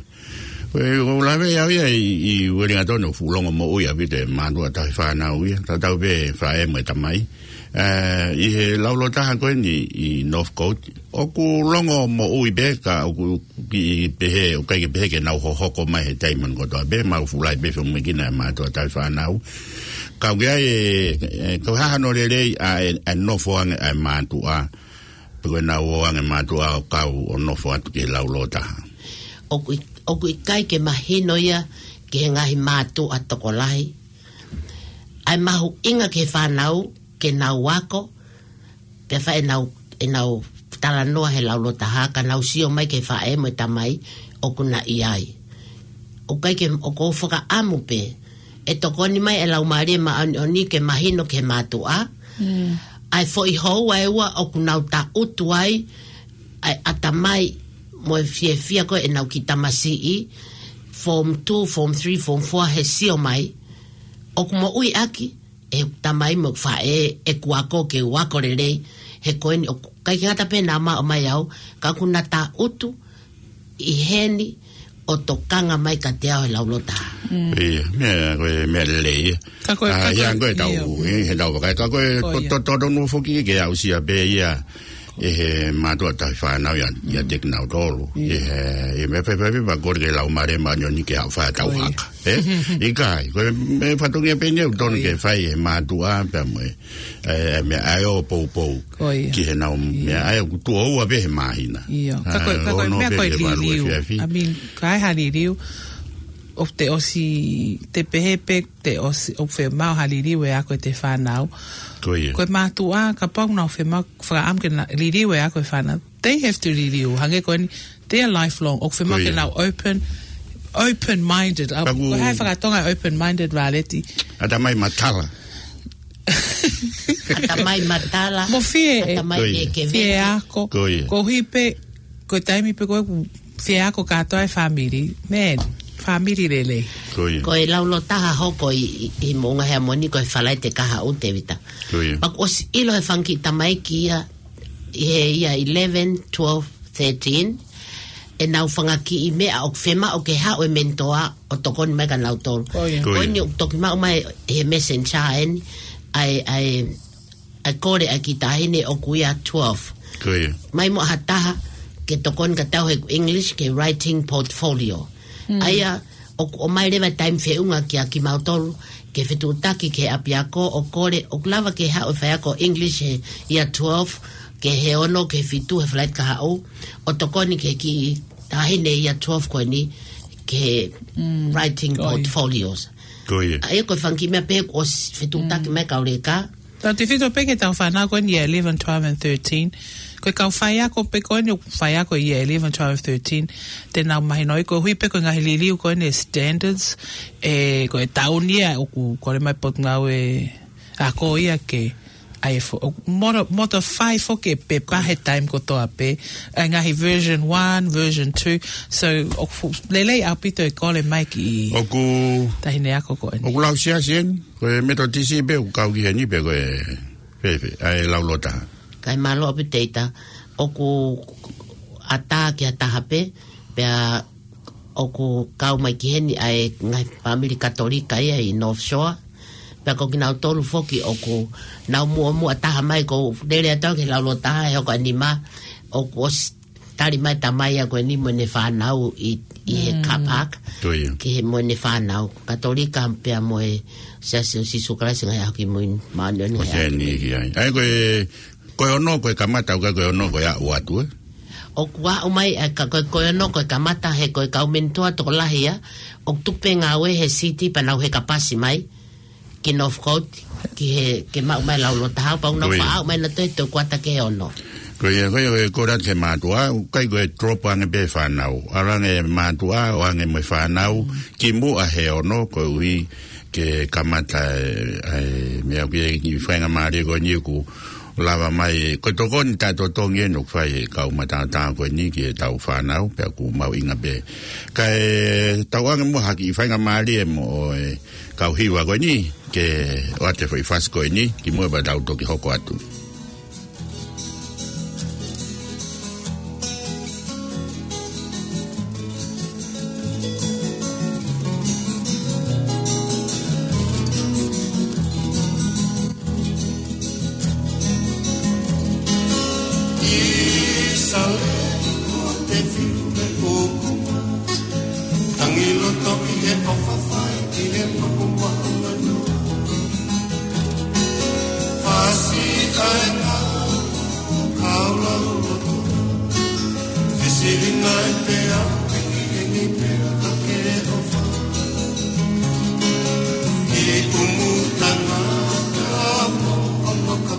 Ko e, ʻoku ou lave au ia ʻi, ʻi Uelingatoni ʻoku fuʻu longomoʻui ʻaupito e mātuʻa tauhi fānau ia. Tatau pē faʻē mo e tamai. Ē, ʻi he laulotaha ko eni ʻi Northcote. ʻOku longomoʻui pē ka ʻoku kiʻi pehē, ʻoku ʻikai ke pehē ke nau hohoko mai he taimi kotoa pē, mau fuʻu lahi pē feʻunga ki he mātuʻa tauhi fānau. Ka ʻoku ʻi ai e, e, ko e hā hano lelei ʻa e, e nofo ange ʻa e mātuʻa. Pe ko e nau ō ange mātuʻa ʻo kau ʻo nofo atu ki he laulotaha. ʻOku ʻi-, ʻoku ʻikai ke mahino ia ki he ngaahi mātuʻa tokolahi. ʻA e mahuʻinga ki he fānau, ke nau ako, pea fai ʻenau, ʻenau talanoa he laulotaha, ka nau sio mai ki he faʻē mo e tamai ʻoku na ʻi ai. ʻOku ʻikai ke, ʻoku ou fakaʻamu pē, ʻe tokoni mai e Laumālie Māʻoniʻoni ke mahino ki he mātuʻa, ʻa e foʻi houa ʻe ua ʻoku nau taʻutu ai, ʻa e ʻatamai mo e fiefia ko ē ʻenau kiʻi tamasiʻi, form two, form three, form four, he sio mai, ʻoku moʻui ʻaki, e tamai mo faʻē, ʻeku ako ke u ako lelei, he ko eni ʻoku ʻikai ke ngata pē naʻa mau ō mai au, ka ʻoku na taʻutu ʻi heni ʻo tokanga mai kiate au he laulotaha. Ia, meʻa, ko e meʻa lelei ia. Ka ko e, ʻa, ka ko ia e, ko e tau, ʻio, ʻi he tau vakai, ka ko e, ko ia, to-, to-, tonu foki ke aʻusia pē ia, ʻe he mātuʻa tauhi fānau ia, ia, mm, te kinautolu. Ia. ʻI he, ʻi he meʻa fēfē pea kole ki he Laumālie Māʻoniʻoni ke haʻu fai ʻetau, ko ia, haka. Ē? ʻIkai, ko e meʻa fatongia pē eni ʻoku tonu, ko ia, ke fai ʻe he mātuʻa pea mo e, e, e meʻa ʻa e ō poupou. Ko ia. Ki heʻenau, ia, meʻa ʻa e ʻoku tuʻo ua pē he māhina. Ia. Ka ko e, ʻa, ka ko e ono meʻa pē ko e ki he valu liliu. Efiafi. I mean, ka ʻi ai ha liliu, ʻoku te ʻosi, te pehē pē te ʻosi, ʻoku fiemaʻu ha liliu e ako ʻete fānau. Ko ia. Ko e mātuʻa, kapau ʻoku nau fiemaʻu, fakaʻamu ke na liliu e ako e fānau, they have to liliu. Hangē ko eni, they're lifelong. ʻOku fiemaʻu, ko ia, ke nau open, open-minded. ʻA, taku, ko e hā e fakatonga open-minded, Rāleti? ʻAtamai matala. ʻAtamai matala. Mo fie, ʻatamai, ko ia, ke, ke fie ako. Ko ia. Koeʻuhi pē, ko e taimi pē ko ē ʻoku fie ako kātoa e fāmili. Man, fāmili lelei. Ko ia. Ko e laulotaha hoko ʻi, ʻi, ʻi Moʻunga Heamoni ko e Falaite kahaʻu, Tēvita. Ko ia. Pea kuo ʻosi ʻilo ʻe he fanga kiʻi tamaiki ia, ʻi he year eleven, twelve, thirteen, ʻenau fanga kiʻi meʻa ʻoku fiemaʻu ke haʻu e mentor ʻo tokoni mai kia nautolu. Ko ia. Ko ia. Ko eni ʻoku toki maʻu mai he Messenger eni, ʻa e, ʻa e, ʻa e kole ʻa e kiʻi taʻahine ʻoku year twelve. Ko ia. Mai muʻa ha taha ke tokoni kiate au he English ki he writing portfolio. Mm. ʻA ia, ʻoku ʻomai leva e taimi feʻunga kia kimautolu, ke fetuʻutaki ki he ʻapiako ʻo kole, ʻoku lava ke haʻu e faiako English he year twelve, ki he ono, ki he fitu, he Falaite kahaʻu, ʻo tokoni ki he kiʻi taʻahine year twelve ko eni, ki he, mm, writing, ko ia, portfolios. Ko ia. ʻA ia ko e fanga kiʻi meʻa pē kuo ʻosi fetuʻutaki, mm, mai kau leka. Tau tefito pē ki heʻetau fānau ko eni year eleven, twelve and thirteen. Ko e kau faiako pē ko eni ʻoku faiako year eleven, twelve, thirteen. Te nau mahinoʻi koeʻuhi pē ko e ngaahi liliu ko eni e standards. ʻE, ko e taʻu ni ia ʻoku kole mai Potungāue Ako ia ke, ʻa e fo-, ʻo moto-, modify foki e pepa he taimi kotoa pē. ʻA e ngaahi version one, version two. So, ʻoku fuʻu lelei ʻaupito e kole mai ki, ʻoku, taʻahine ako ko eni. ʻOku lau siasi eni? Ko e Metotisi pē ʻoku kau ki heni pe ko e fēfē, ʻa e laulotaha? Kae mālō ʻaupito Teita, ʻoku ʻatā ki ha taha pē, pea ʻoku kau mai ki heni ʻa e ngaahi fāmili Katolika ia ʻi North Shore, pea ko kinautolu foki ʻoku nau muʻomuʻa taha mai, ko e lele atu au ki he laulotaha he hoko ʻa e nima, ʻoku ʻosi tali mai e tamai ia ko eni mo ʻene fānau ʻi, ʻi he, mm, car park. Ko ia. Ki he mo ʻene fānau, Katolika pea mo e Siasi ʻo Sīsū Kalaisi ʻo e Ngaahi ʻAho Kimui Māʻoniʻoni. Ko e ʻEiki ia. ʻA ia ko e, ko e ono ko e kamata, ʻoku ʻikai ko e ono ko e aʻu atu, ē? ʻOku aʻu mai, ʻa e ka, ko e, ko e ono ko e kamata he ko e kau mentor tokolahi ia, ʻoku tuku pē ngāue he city pea nau heka pasi mai ki Northcote, ki he, ke maʻu mai e laulotaha, pea ʻoku nau, ko ia, faʻa aʻu mai nautolu he toʻukuata ki he ono. Ko ia, ko ia, ko e kole atu ki he mātuʻa, ʻoku ʻikai ko e drop ange pē fānau. ʻAlu ange mātuʻa, ʻo ange mo e fānau, kimuʻa he ono, koeʻuhi ke kamata e, e, meʻa ki he kiʻi faingamālie ko eni ʻoku lava mai. Ko e tokoni taʻetotongi eni ʻoku fai ʻe he kau mataotao ko eni ki heʻetau fānau, pea ʻoku mahuʻinga pē. Kae tau ange muʻa ha kiʻi faingamālie mo e kau hiva ko eni, ke ʻoatu e foʻi fasi ko eni, kimuʻa pea tau toki hoko atu. Tangi loto ʻi he ʻofa fai ki he makumaku manoa. Fasi ʻa e ngāue ʻo kau lau loto. Fesili nai pea, ʻengiʻengi pea ka ke ʻofa. Ki ʻumu tangata mo ono ka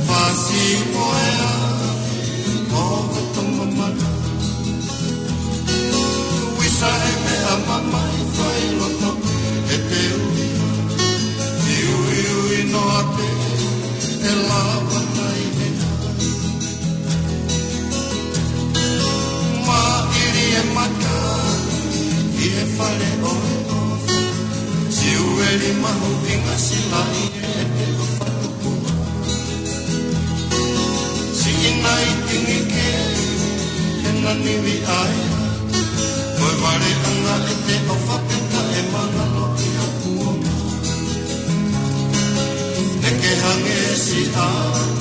Fasi mo e afi, ʻo ka toma mana. Uisa e meʻa mamahi fai loto e te ui. Ki uiui noa pē, e lava mai e ai. Maʻili e mata, ʻi he fale ʻo e ʻofa. Siueli mahuʻinga silaʻi e te ʻofa. Siʻi nai tingi ke, he nani vi ai. Ko e vale anga e te ʻofa peka e mana loki a kuonga. Te ke hangē siʻa,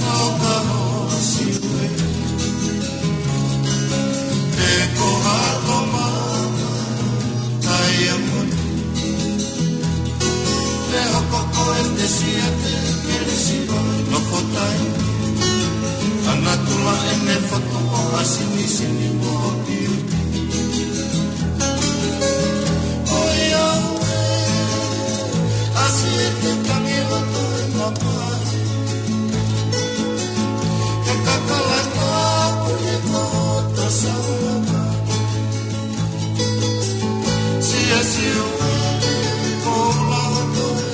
kau ka ho siue. Te ko ha toma, Taiamoni. Te hoko ko e te sia te kelesi o nofo tai. Ana tula e ne foto ʻo asinisini mo piu. ʻOiauē, ʻasi e te tangi loto e mamahi. Ke kakala ka puni ko ta saunga. Sia siu e koula o toe.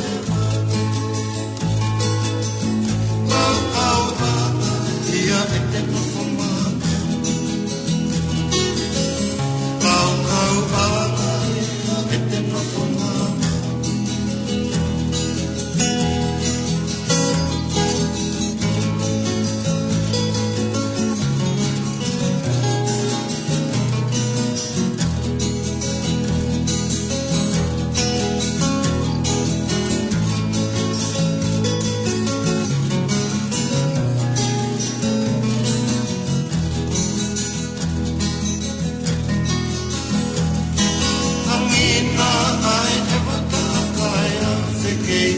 Kau kau ʻana ia e te nofo mamahi. Kau kau ʻana ia e te nofo mamahi. Hangina ai e vaka kai a fekei.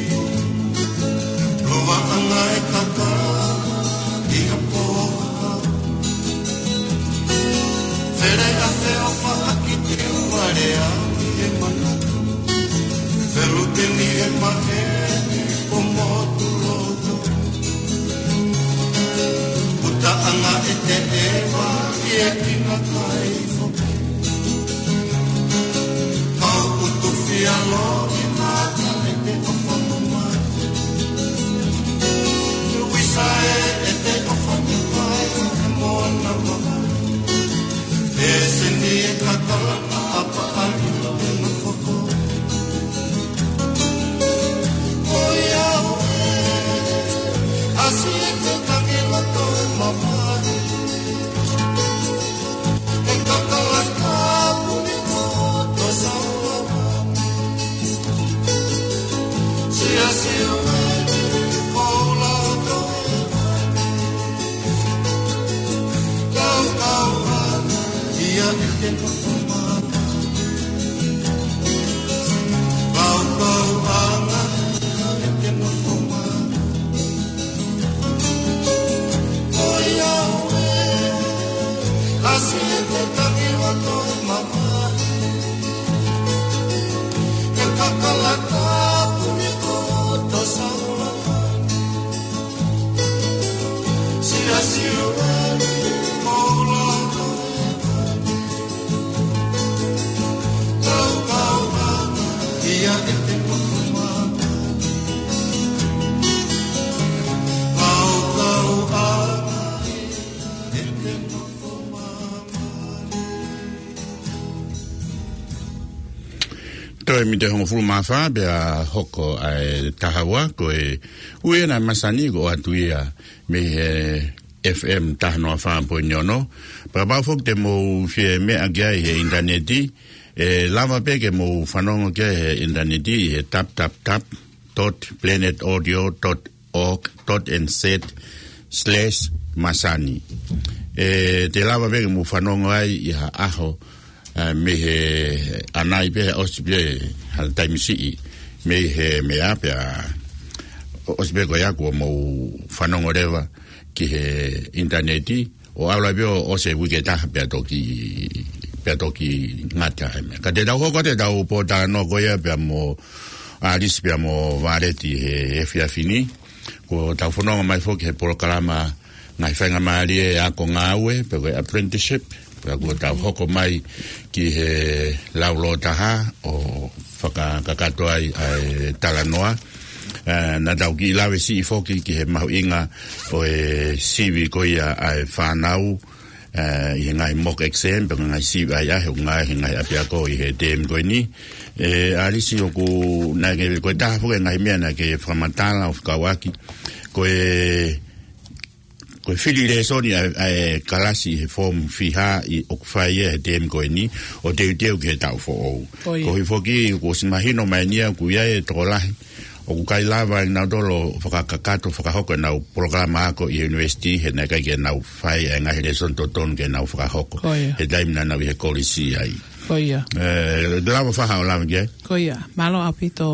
Lova anga e kaka i a poha. Fele a feofa a ki te uare a i e manatu. Felu te ni e mahe o motu loto. Puta anga e te ewa i e kina kai foki. Kau utu fia lo i mata e te ofa mamahi. Uisa e e te ofa mamahi e moana mamahi. E seni e kakala a pa a i lo e nofo ko. ʻOiauē, ʻasi e te tangi loto e mamahi. E kakala ka puni ko ta saunga. Sia siu e koula o toe. Kau kau ʻana ia e te nofo mamahi. Kau kau ʻana ia e te nofo mamahi. ʻOiauē, ʻasi e te tangi loto e mamahi. E kakala ka puni ko ta saunga. Ko e miniti ʻe hongofulu mā fā pea hoko ʻa e taha ua, ko e ui ena ʻa e masani ko ʻoatu ia mei he F M taha noa fā poini ono. Pea kapau foki te mou fie meʻa ki ai he ʻinitaneti, ʻe lava pē ke mou fanongo ki ai he ʻinitaneti he tap tap tap dot planet audio dot org dot N Z slash masani. ʻE, te lava pē ke mou fanongo ai ʻi ha ʻaho, ʻa, mei he ʻanai pē, ʻosi pē ha taimi siʻi mei he meʻa pea ʻosi pē ko ia kuo mou fanongo leva ki he ʻinitaneti, ʻo ʻalu ai pē ʻo ʻosi e uike ʻe taha pea toki, pea toki ngata ai meʻa. Ka te tau hoko atu ʻetau pōtalanoa ko ia pea mo ʻAlisi pea mo Valeti he, he efiafi ni. Kuo tau fononga mai foki he polokalama ngaahi faingamālie ako ngāue, pe ko e apprenticeship, pea kuo tau hoko mai ki he lau lōtaha ʻo fakakakato ai ʻa e talanoa. ʻE, naʻa tau kiʻi lave siʻi foki ki he mahuʻinga ʻo e sivi ko ia ʻa e fānau, ʻe, ʻi he ngaahi mock exam, pe ko e ngaahi sivi ʻahiʻahi ʻoku ngāue he ngaahi ʻapiako ʻi he tēmi ko eni. ʻE, ʻAlisi, ʻoku, naʻa ke, ko e taha foki e ngaahi meʻa naʻa ke fakamatala ʻo fekauʻaki, ko e, ko e fili lēsoni ʻa, ʻa e kalasi he form fiha ʻi ʻoku fai ia he tēmi ko eni, ʻo teuteu ki he taʻu foʻou. Ko ia. Koeʻuhi foki, kuo ʻosi mahino mai eni ia, ʻoku ʻi ai e tokolahi ʻoku ʻikai lava ʻe nautolu ʻo fakakakato, fakahoko ʻenau polokalama ako ʻi he university, he naʻe ʻikai ke nau fai e ngaahi lēsoni totonu ke nau fakahoko. Ko ia. He taimi naʻa nau ʻi he kolisi ai. Ko ia. ʻE, lava faha ʻo lava ki ai. Ko ia. Mālō ʻaupito,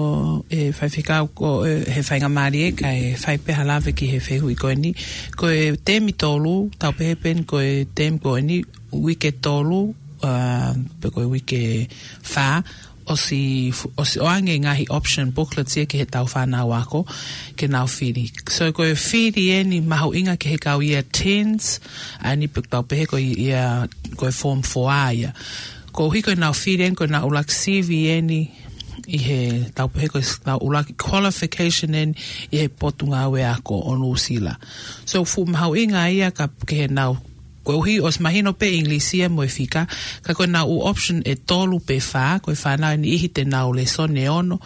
ʻe, Faifekau, ko e, he faingamālie kae fai pē ha lave ki he fehuʻi ko eni. Ko e tēmi tolu, tau pehē pē eni ko e tēmi ko eni, uike tolu, ʻa, pe ko e uike fā, ʻosi, ʻosi ʻoange ngaahi option booklets ia ki heʻetau fānau ako, ke nau fili. So ko e fili eni mahuʻinga ki he kau year tens, ʻa eni pe tau pehē ko ia, ko e form four ia. Koeʻuhi ko ʻenau fili eni, ko ʻenau ʻuluaki sivi eni, ʻi he tau pehē ko ʻenau ʻuluaki qualification eni, ʻi he potungāue ako ʻo Nuʻusila. So fuʻu mahuʻinga ia ka ke nau Koeʻuhi ʻosi mahino pē ʻIngilisi ia mo e fika, ka ko ʻenau ʻū option ʻe tolu pe fā, ko e fānau ʻe niʻihi te nau lēsoni ʻe ono,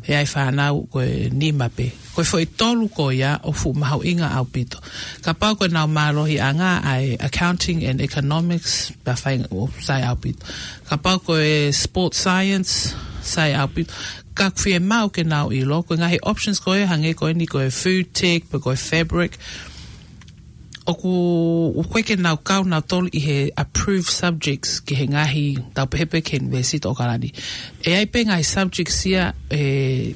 ʻe ʻi ai fānau ko e nima pē. Ko e foʻi tolu ko ia ʻoku fuʻu mahuʻinga ʻaupito. Kapau ko ʻenau mālohiʻanga ʻa e accounting and economics, pea fai ʻo sai ʻaupito. Kapau ko e sports science, sai ʻaupito. Ka ʻoku fiemaʻu ke nau ʻilo, ko e ngaahi options ko ē hangē ko eni ko e food tech, pe ko e fabric, ʻoku, ʻoku ʻikai ke nau kau nautolu ʻi he approved subjects ki he ngaahi tau pehē pē ki he University ʻAokalani. ʻE ʻi ai pē ngaahi subjects ia ʻe,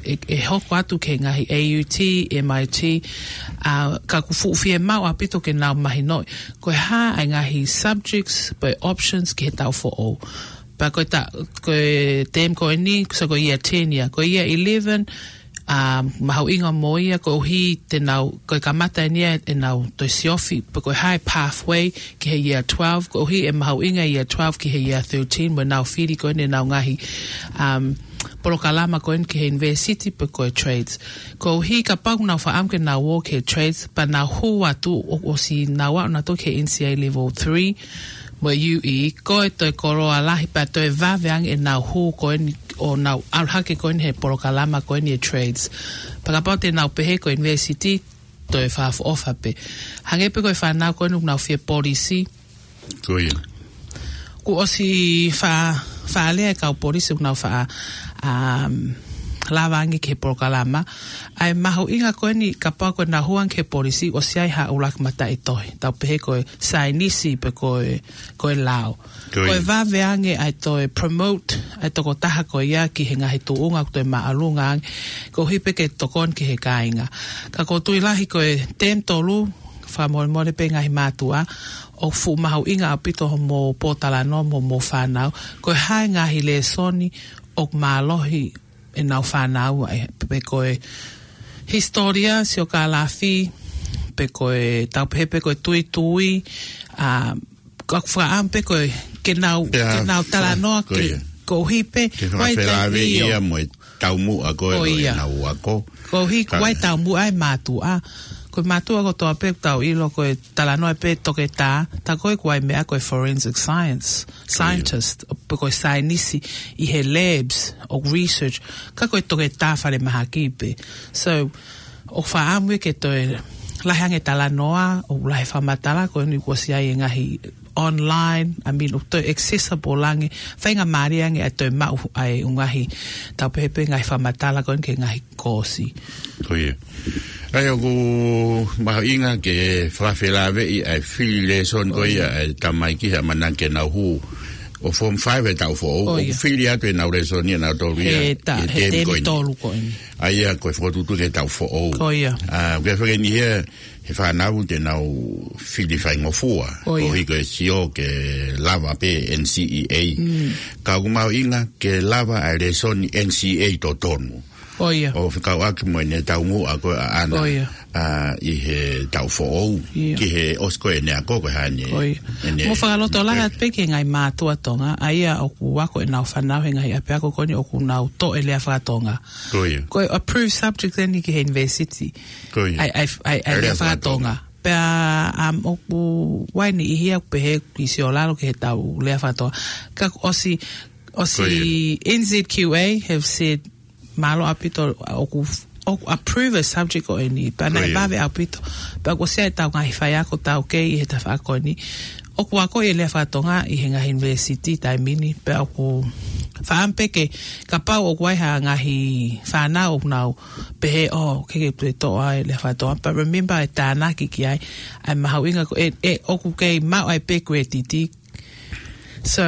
ʻe, ʻe hoko atu ki he ngaahi A U T, M I T, ʻa, ka ʻoku fuʻu fiemaʻu ʻaupito ke nau mahinoʻi ko e hā ʻa e ngaahi subjects pe options ki he taʻu foʻou. Pea ko e ta-, ko e tēmi ko eni, so ko e year ten ia, ko e year eleven, ʻa, mahuʻinga mo ia, koeʻuhi te nau, ko e kamata eni ia ʻenau toe siofi, pe ko e hā e pathway ki he year twelve, koeʻuhi ʻe mahuʻinga e year twelve ki he year thirteen, mo ʻenau fili ko eni ʻenau ngaahi, um, polokalama ko eni ki he university, pe ko e trades. Koeʻuhi kapau ʻoku nau fakaʻamu ke nau ō ki he trades, pea nau hū atu ʻo, ʻosi nau aʻu nautolu ki he N C A level three, mo e U E, ko e toe koloa lahi pea toe vave ange ʻenau hū ko eni ʻo nau ʻalu hake ko eni he polokalama ko eni e trades. Pea kapau te nau pehē ko e university, toe fakaʻofoʻofa pē. Hangē pē ko e fānau ko eni ʻoku nau fie polisi. Ko ia. Kuo ʻosi fa-, fakalea e kau polisi ʻoku nau fa-, um, lava ange ki he polokalama. ʻA e mahuʻinga ko eni kapau ko ʻenau hū ange ki he polisi ʻosi ʻi ai ha ʻuluaki mataʻitohi. Tau pehē ko e saienisi pe ko e, ko e lao. Ko ia. Ko e vave ange ʻa e toe promote ʻa e tokotaha ko ia ki he ngaahi tuʻunga ʻoku toe māʻolunga ange. Koeʻuhi pē ke tokoni ki he kāinga. Ka ʻoku ou tui lahi ko e tēmi tolu, fakamolemole pē ngaahi mātuʻa, ʻoku fuʻu mahuʻinga ʻaupito hoʻomou pōtalanoa mo hoʻomou fānau. Ko e hā e ngaahi lēsoni ʻoku mālohi ʻenau fānau, ʻa e, pe ko e hisitōlia, siokālafi, pe ko e tau pehē pe ko e tuitui, ʻa, ka ʻoku fakaʻamu pē ko e, ke nau, pea, ke nau talanoa, ko ke, ia. Koeʻuhi pē, ke ʻoku ʻi ai e fakafelāveʻi taimi ia mo e taumuʻa ko ē ʻo ia. ʻEnau ako. Koeʻuhi, ka ʻoku ʻi ai e taumuʻa e mātuʻa. Ko e mātuʻa kotoa pē ʻoku tau ʻilo ko e talanoa pē toketā, tā ko ē ʻoku ʻi ai e meʻa ko e forensic science, scientist, pe ko e saienisi ʻi he labs ʻo research, ka ko e toketā falemahaki pē. So, ʻoku fakaʻamu ia ke toe lahi ange talanoa, ʻo lahi fakamatala, ko eni kuo ʻosi ʻi ai e ngaahi online, I mean, ʻoku toe accessible ange, faingamālie ange ʻa e toe maʻu ʻa e ʻū ngaahi, tau pehē pē ngaahi fakamatala ko eni ki he ngaahi kosi. Ko ia. ʻA ia ʻoku mahuʻinga ke fakafelāveʻi ʻa e fili lēsoni ko ia ʻa e tamaiki he ʻamanaki ke nau hū ʻo form five he taʻu foʻou, ʻoku fili atu ʻenau lēsoni ʻanautolu ia he temi ko eni. ʻA ia ko e fokotuʻutuʻu ki he taʻu foʻou. Ko ia. ʻA, ʻoku ʻi ai e faʻahinga niʻihi ia he fānau te nau fili faingofua. Ko ia. Koeʻuhi ko e sio ke lava pē N C E A. Ka ʻoku mahuʻinga ke lava ʻa e lēsoni N C E A totonu. Ko ia. ʻO fekauʻaki mo ʻene taumuʻa ko ē ʻaʻana. Ko ia. ʻA, ʻi he taʻu foʻou. Ia. Ki he ʻosi ko ē ʻene ako ko e hā eni. Ko ia. Mo fakalotolahi atu pē ki he ngaahi mātuʻa Tonga, ʻa ia ʻoku ako ʻenau fānau he ngaahi ʻapiako ko eni ʻoku nau toʻo e lea faka-Tonga. Ko ia. Ko e approved subject eni ki he university. Ko ia. ʻA e, ʻa e, ʻa e, ʻa e lea faka-Tonga. Pea, um, ʻoku ʻi ai e niʻihi ia ʻoku pehē ki sio lalo ki he tau lea faka-Tonga. Ka ʻosi, ʻosi N Z Q A have said, mālō ʻaupito ʻoku, ʻoku approve e subject ko eni. Pea naʻe vave ʻaupito. Pea kuo ʻosi ʻi ai e tau ngaahi faiako taukei ʻi he tafaʻaki ko eni. ʻOku ako e lea faka-Tonga ʻi he ngaahi university taimi ni, pea ʻoku fakaʻamu pē ke, kapau ʻoku ʻi ai ha ngaahi fānau ʻoku nau pehē, ʻoku ʻikai ke toe toʻo ʻa e lea faka-Tonga. But remember e tānaki ki ai, ʻa e mahuʻinga ko e, ʻe, ʻoku kei maʻu ai pē credit. So,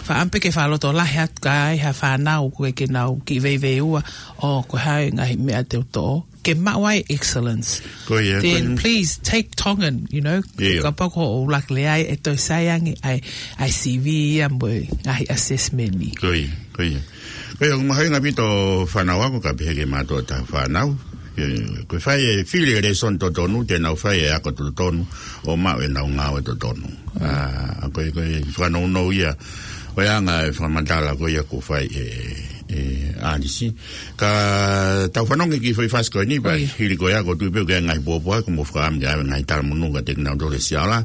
fakaʻamu pē ke fakalotolahi atu ka ʻi ai ha fānau ʻoku ʻikai ke nau kiʻi veiveiua, ʻoku ʻi ai e ngaahi meʻa te u toʻo. Ke maʻu ai excellence. Ko ia, then ko ia. Please take Tongan, you know. Ia. Kapau ko hoʻo ʻuluaki lea ʻe toe sai ange ʻa e, ʻa e C V ia mo e ngaahi assessment ni. Ko ia, ko ia. Ko ia, ʻoku mahuʻinga ʻaupito fānau ako ka pehē ki he mātuʻa ʻo e fānau. Ko e, ko e fai e fili e lēsoni totonu, te nau fai e ako totonu, ʻo maʻu ʻenau ngāue totonu. ʻA, ko e, ko e fakanounou ia ʻo e anga e fakamatala ko ia kuo fai ʻe, ʻe ʻAlisi. Ka tau fanongo ki he foʻi fasi ko eni, pea hili ko ia ʻoku ou tui pē ʻoku ʻi ai e ngaahi pōpoaki ʻoku mou fakaʻamu ke ʻave ngaahi talamonū kiate kinautolu ʻe siʻi ala.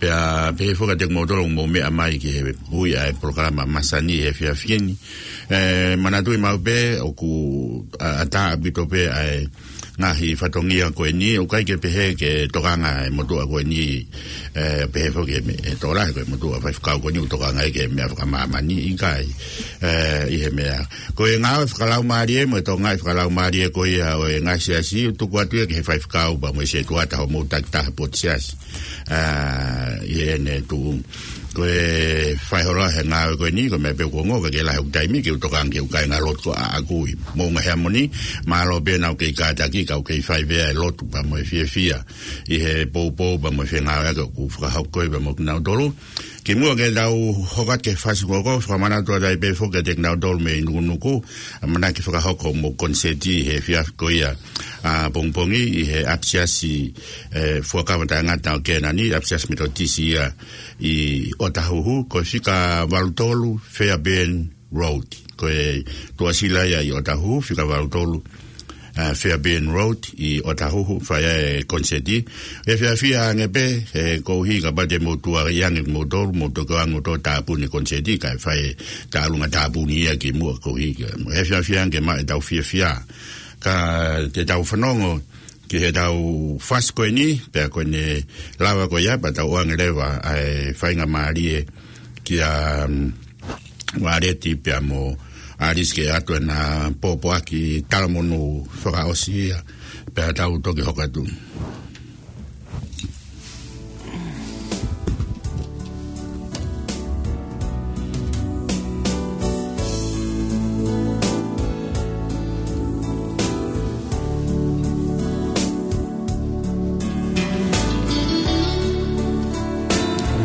Pea pehē foki kiate kimoutolu ʻoku mou meʻa mai ki he ui ʻa e polokalama masani he efiafi ni. ʻE, manatuʻi maʻu pē ʻoku, ʻa, ʻatā ʻaupito pē ʻa e ngaahi fatongia ko eni, ʻoku ʻikai ke pehē ke tokanga e motuʻa ko eni, ʻe, pehē foki ʻe me-, ʻe tokolahi ko e motuʻa faifekau ko eni ʻoku tokanga ia ki he meʻa fakamāmani, ʻikai, ʻe, ʻi he meʻa. Ko e ngāue fakalaumālie mo e tokangaʻi fakalaumālie ko ia ʻo e ngaahi siasi, ʻoku tuku atu ia ki he faifekau pea mo e setuata hoʻomou takitaha potu siasi. ʻA, ʻi heʻene tuʻu. Ko e fai holo he ngāue ko eni, ko e meʻa pē ʻoku ongo, ka ke lahi hoku taimi, ke u tokanga ke u kāinga lotu ko ʻaʻaku ʻi Moʻunga Heamoni, mālō pē naʻa ku kei kātaki, ka u kei fai pē ʻa e lotu pea mo e fiefia ʻi he poupou pea mo e fengāueʻaki ʻoku fakahoko pea mo kinautolu. Kimuʻa ke tau hoko atu ki he fasi ko ē, fakamanatu atu ai pē foki kiate kinautolu mei Nukunuku, ʻamanaki fakahoko hoʻomou konisēti he efiafi ko ia ʻapongipongi ʻi he ʻapisiasi, ʻe, Fuakava Taʻengata ʻo Kēnani, ʻapisiasi Metotisi ia ʻi ʻOtahuhu, ko e fika valu tolu Fairbairn Road. Ko e tuʻasila ia ʻi ʻOtahuhu, fika valu tolu, ʻa, Fairbairn Road ʻi ʻOtahuhu, fai ai e konisēti. ʻE fiafia ange pē, ʻe, koeʻuhi kapau te mou tuʻu ange kimoutolu, mou toki ō ange ʻo tāpuni e konisēti, kae fai e tālunga tāpuni ia kimuʻa koeʻuhi ke, ʻe fiafia ange maʻa ʻetau fiefia. Ka te tau fanongo ki heʻetau fasi ko eni, pea ko ʻene lava ko ia, pea tau ʻoange leva ʻa e faingamālie kia, mm, Ualeti pea mo ʻAlisi ke ʻoatu ʻena pōpoaki talamonū fakaʻosi ia, pea tau toki hoko atu.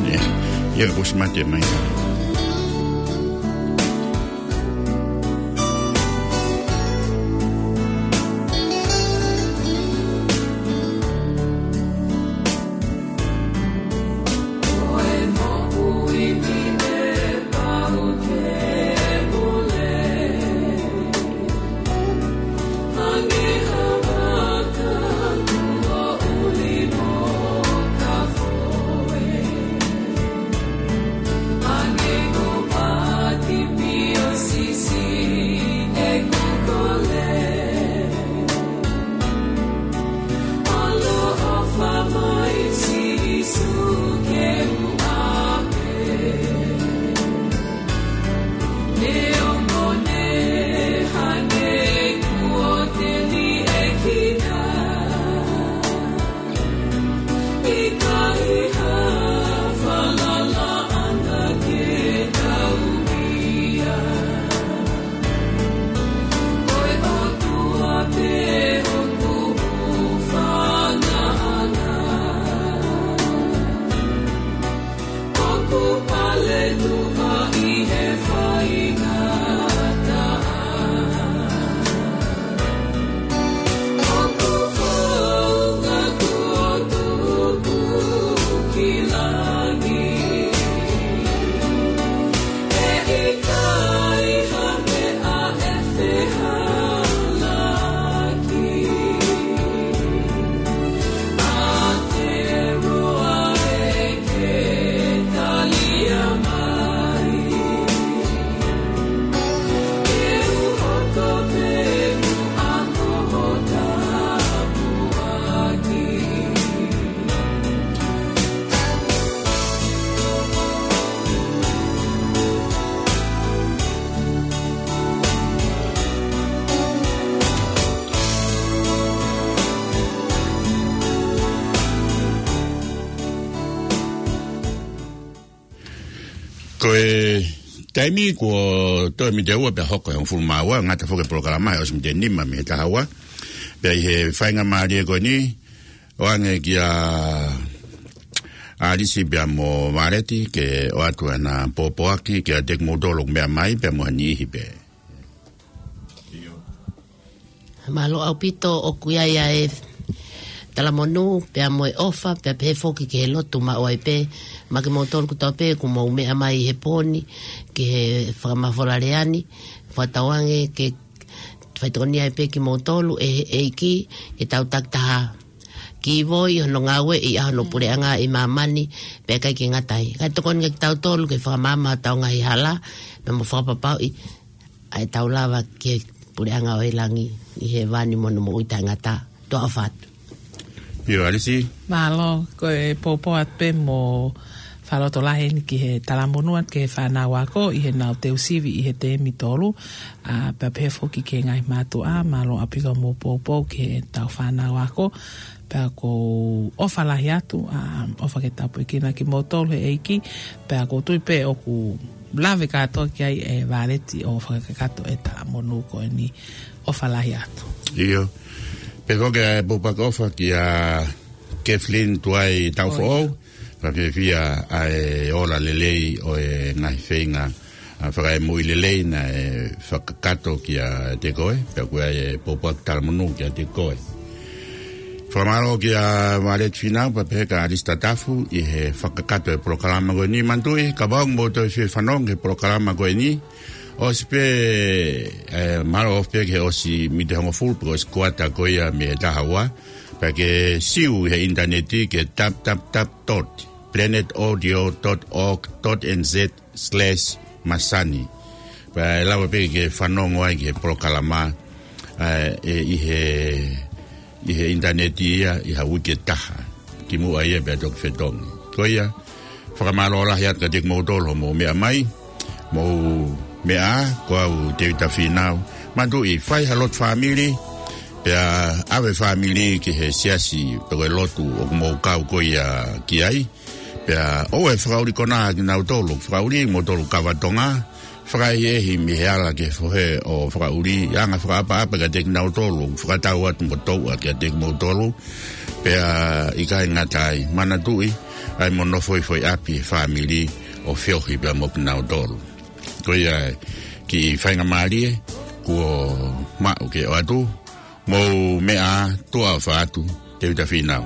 Ia, ia, kuo ʻosi mate mai. Ko e taimi kuo toe miniti ʻe ua pea hoko e hongofulu mā ua, ngata foki e polokalama he ʻosi miniti ʻe nima mei he taha ua. Pea ʻi he faingamālie ko eni, ʻoange kia ʻAlisi pea mo Valeti ke ʻoatu ʻena pōpoaki kiate kimoutolu ʻoku meʻa mai pea mo ha niʻihi pē. Mālō ʻaupito ʻoku ʻi ai ʻa e talamonū, pea mo e ʻofa, pea pehē foki ki he lotu maʻu ai pē, maʻa kimoutolu kotoa pē ʻoku mou meʻa mai he pō ni, ki he fakamafola lea ni, fakatauange ke faitokonia ai pē kimoutolu ʻe he ʻEiki, ke tau takitaha kīvoi hono ngāueʻi ʻa hono puleʻanga ʻi māmani, pea ʻikai ke ngata ai. Kae tokoni kia kitautolu ke fakamaama hotau ngaahi hala, pea mo fakapapauʻi ʻa e tau lava ki he puleʻanga ʻo e langi ʻi he vani mo hono moʻui taʻengata. Tuʻa ʻofa atu. ʻIo, ʻAlisi. Mālō, ko e pōpō atu pē mo fakalotolahi eni ki he talamonū atu ki he fānau ako ʻi heʻenau teu sivi ʻi he teemi tolu. ʻA, pea pehē foki ki he ngaahi mātuʻa, mālō ʻaupito hoʻomou pōpō ki he tau fānau ako. Pea ʻoku ou ʻofa lahi atu, ʻa, ʻofa ke tāpuekina kimoutolu he ʻEiki, pea ʻoku ou tui pē ʻoku lave kātoa ki ai ʻe Valeti ʻo fakakakato e talamonū ko eni, ʻofa lahi atu. ʻIo. Pea ko e pōpoaki ʻofa kia Kathleen Tuai Taufoʻou, pea fiefia ʻa e ola lelei ʻo e ngaahi feinga ʻa, fakaemui lelei naʻe fakakakato kiate koe, pea ʻoku ʻi ai e pōpoaki talamonū kiate koe. Fakamālō kia Valeti Fīnau pea pehē kia ʻAlisi Tatafu ʻi he fakakakato e polokalama ko eni. Manatuʻi, kapau ʻoku mou toe fie fanongo he polokalama ko eni, ʻosi pē, ʻe, mālō ʻofa pē ki he ʻosi miniti ʻe hongofulu pe ko e ʻosi kuata ko ia mei he taha ua, pea ke siu he ʻinitaneti ki he w w w dot planet audio dot org dot n z slash masani. Pea ʻe lava pē ke fanongo ai ki he polokalama, ʻa, ʻe, ʻi he, ʻi he ʻinitaneti ia ʻi ha uike ʻe taha. Kimuʻa ia pea toki fetongi. Ko ia, fakamālō lahi atu kiate kimoutolu hoʻomou meʻa mai, mou meʻa ā, ko au Tēvita Fīnau. Manatuʻi, fai ha lotu fāmili, pea ʻave fāmili ki he siasi pe ko e lotu ʻoku mou kau ko ia ki ai. Pea ʻoua ʻe fakaʻuli konā kinautolu ʻoku fakaʻuli, kimoutolu kava Tonga, fakaʻehiʻehi mei he ala ki he fohe ʻo fakaʻuli, anga fakaʻapaʻapa kiate kinautolu ʻoku fakatau atu mo touʻa kiate kimoutolu, pea ʻikai ngata ai, manatuʻi, ʻai mo nofo ʻi foʻi ʻapi he fāmili ʻo feohi pea mo kinautolu. Ko ia e kiʻi faingamālie kuo maʻu ke ʻoatu, mou meʻa ā, tuʻa ʻofa atu, Tēvita Fīnau.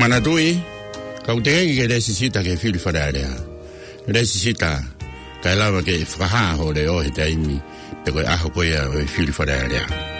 Manatuʻi, ka ʻoku teʻeki ke lēsisita ki he fili Fale Alea, lēsisita kae lava ke fakahā hoʻo leʻo he taimi pe ko e ʻaho ko ia ʻo e fili Fale Alea.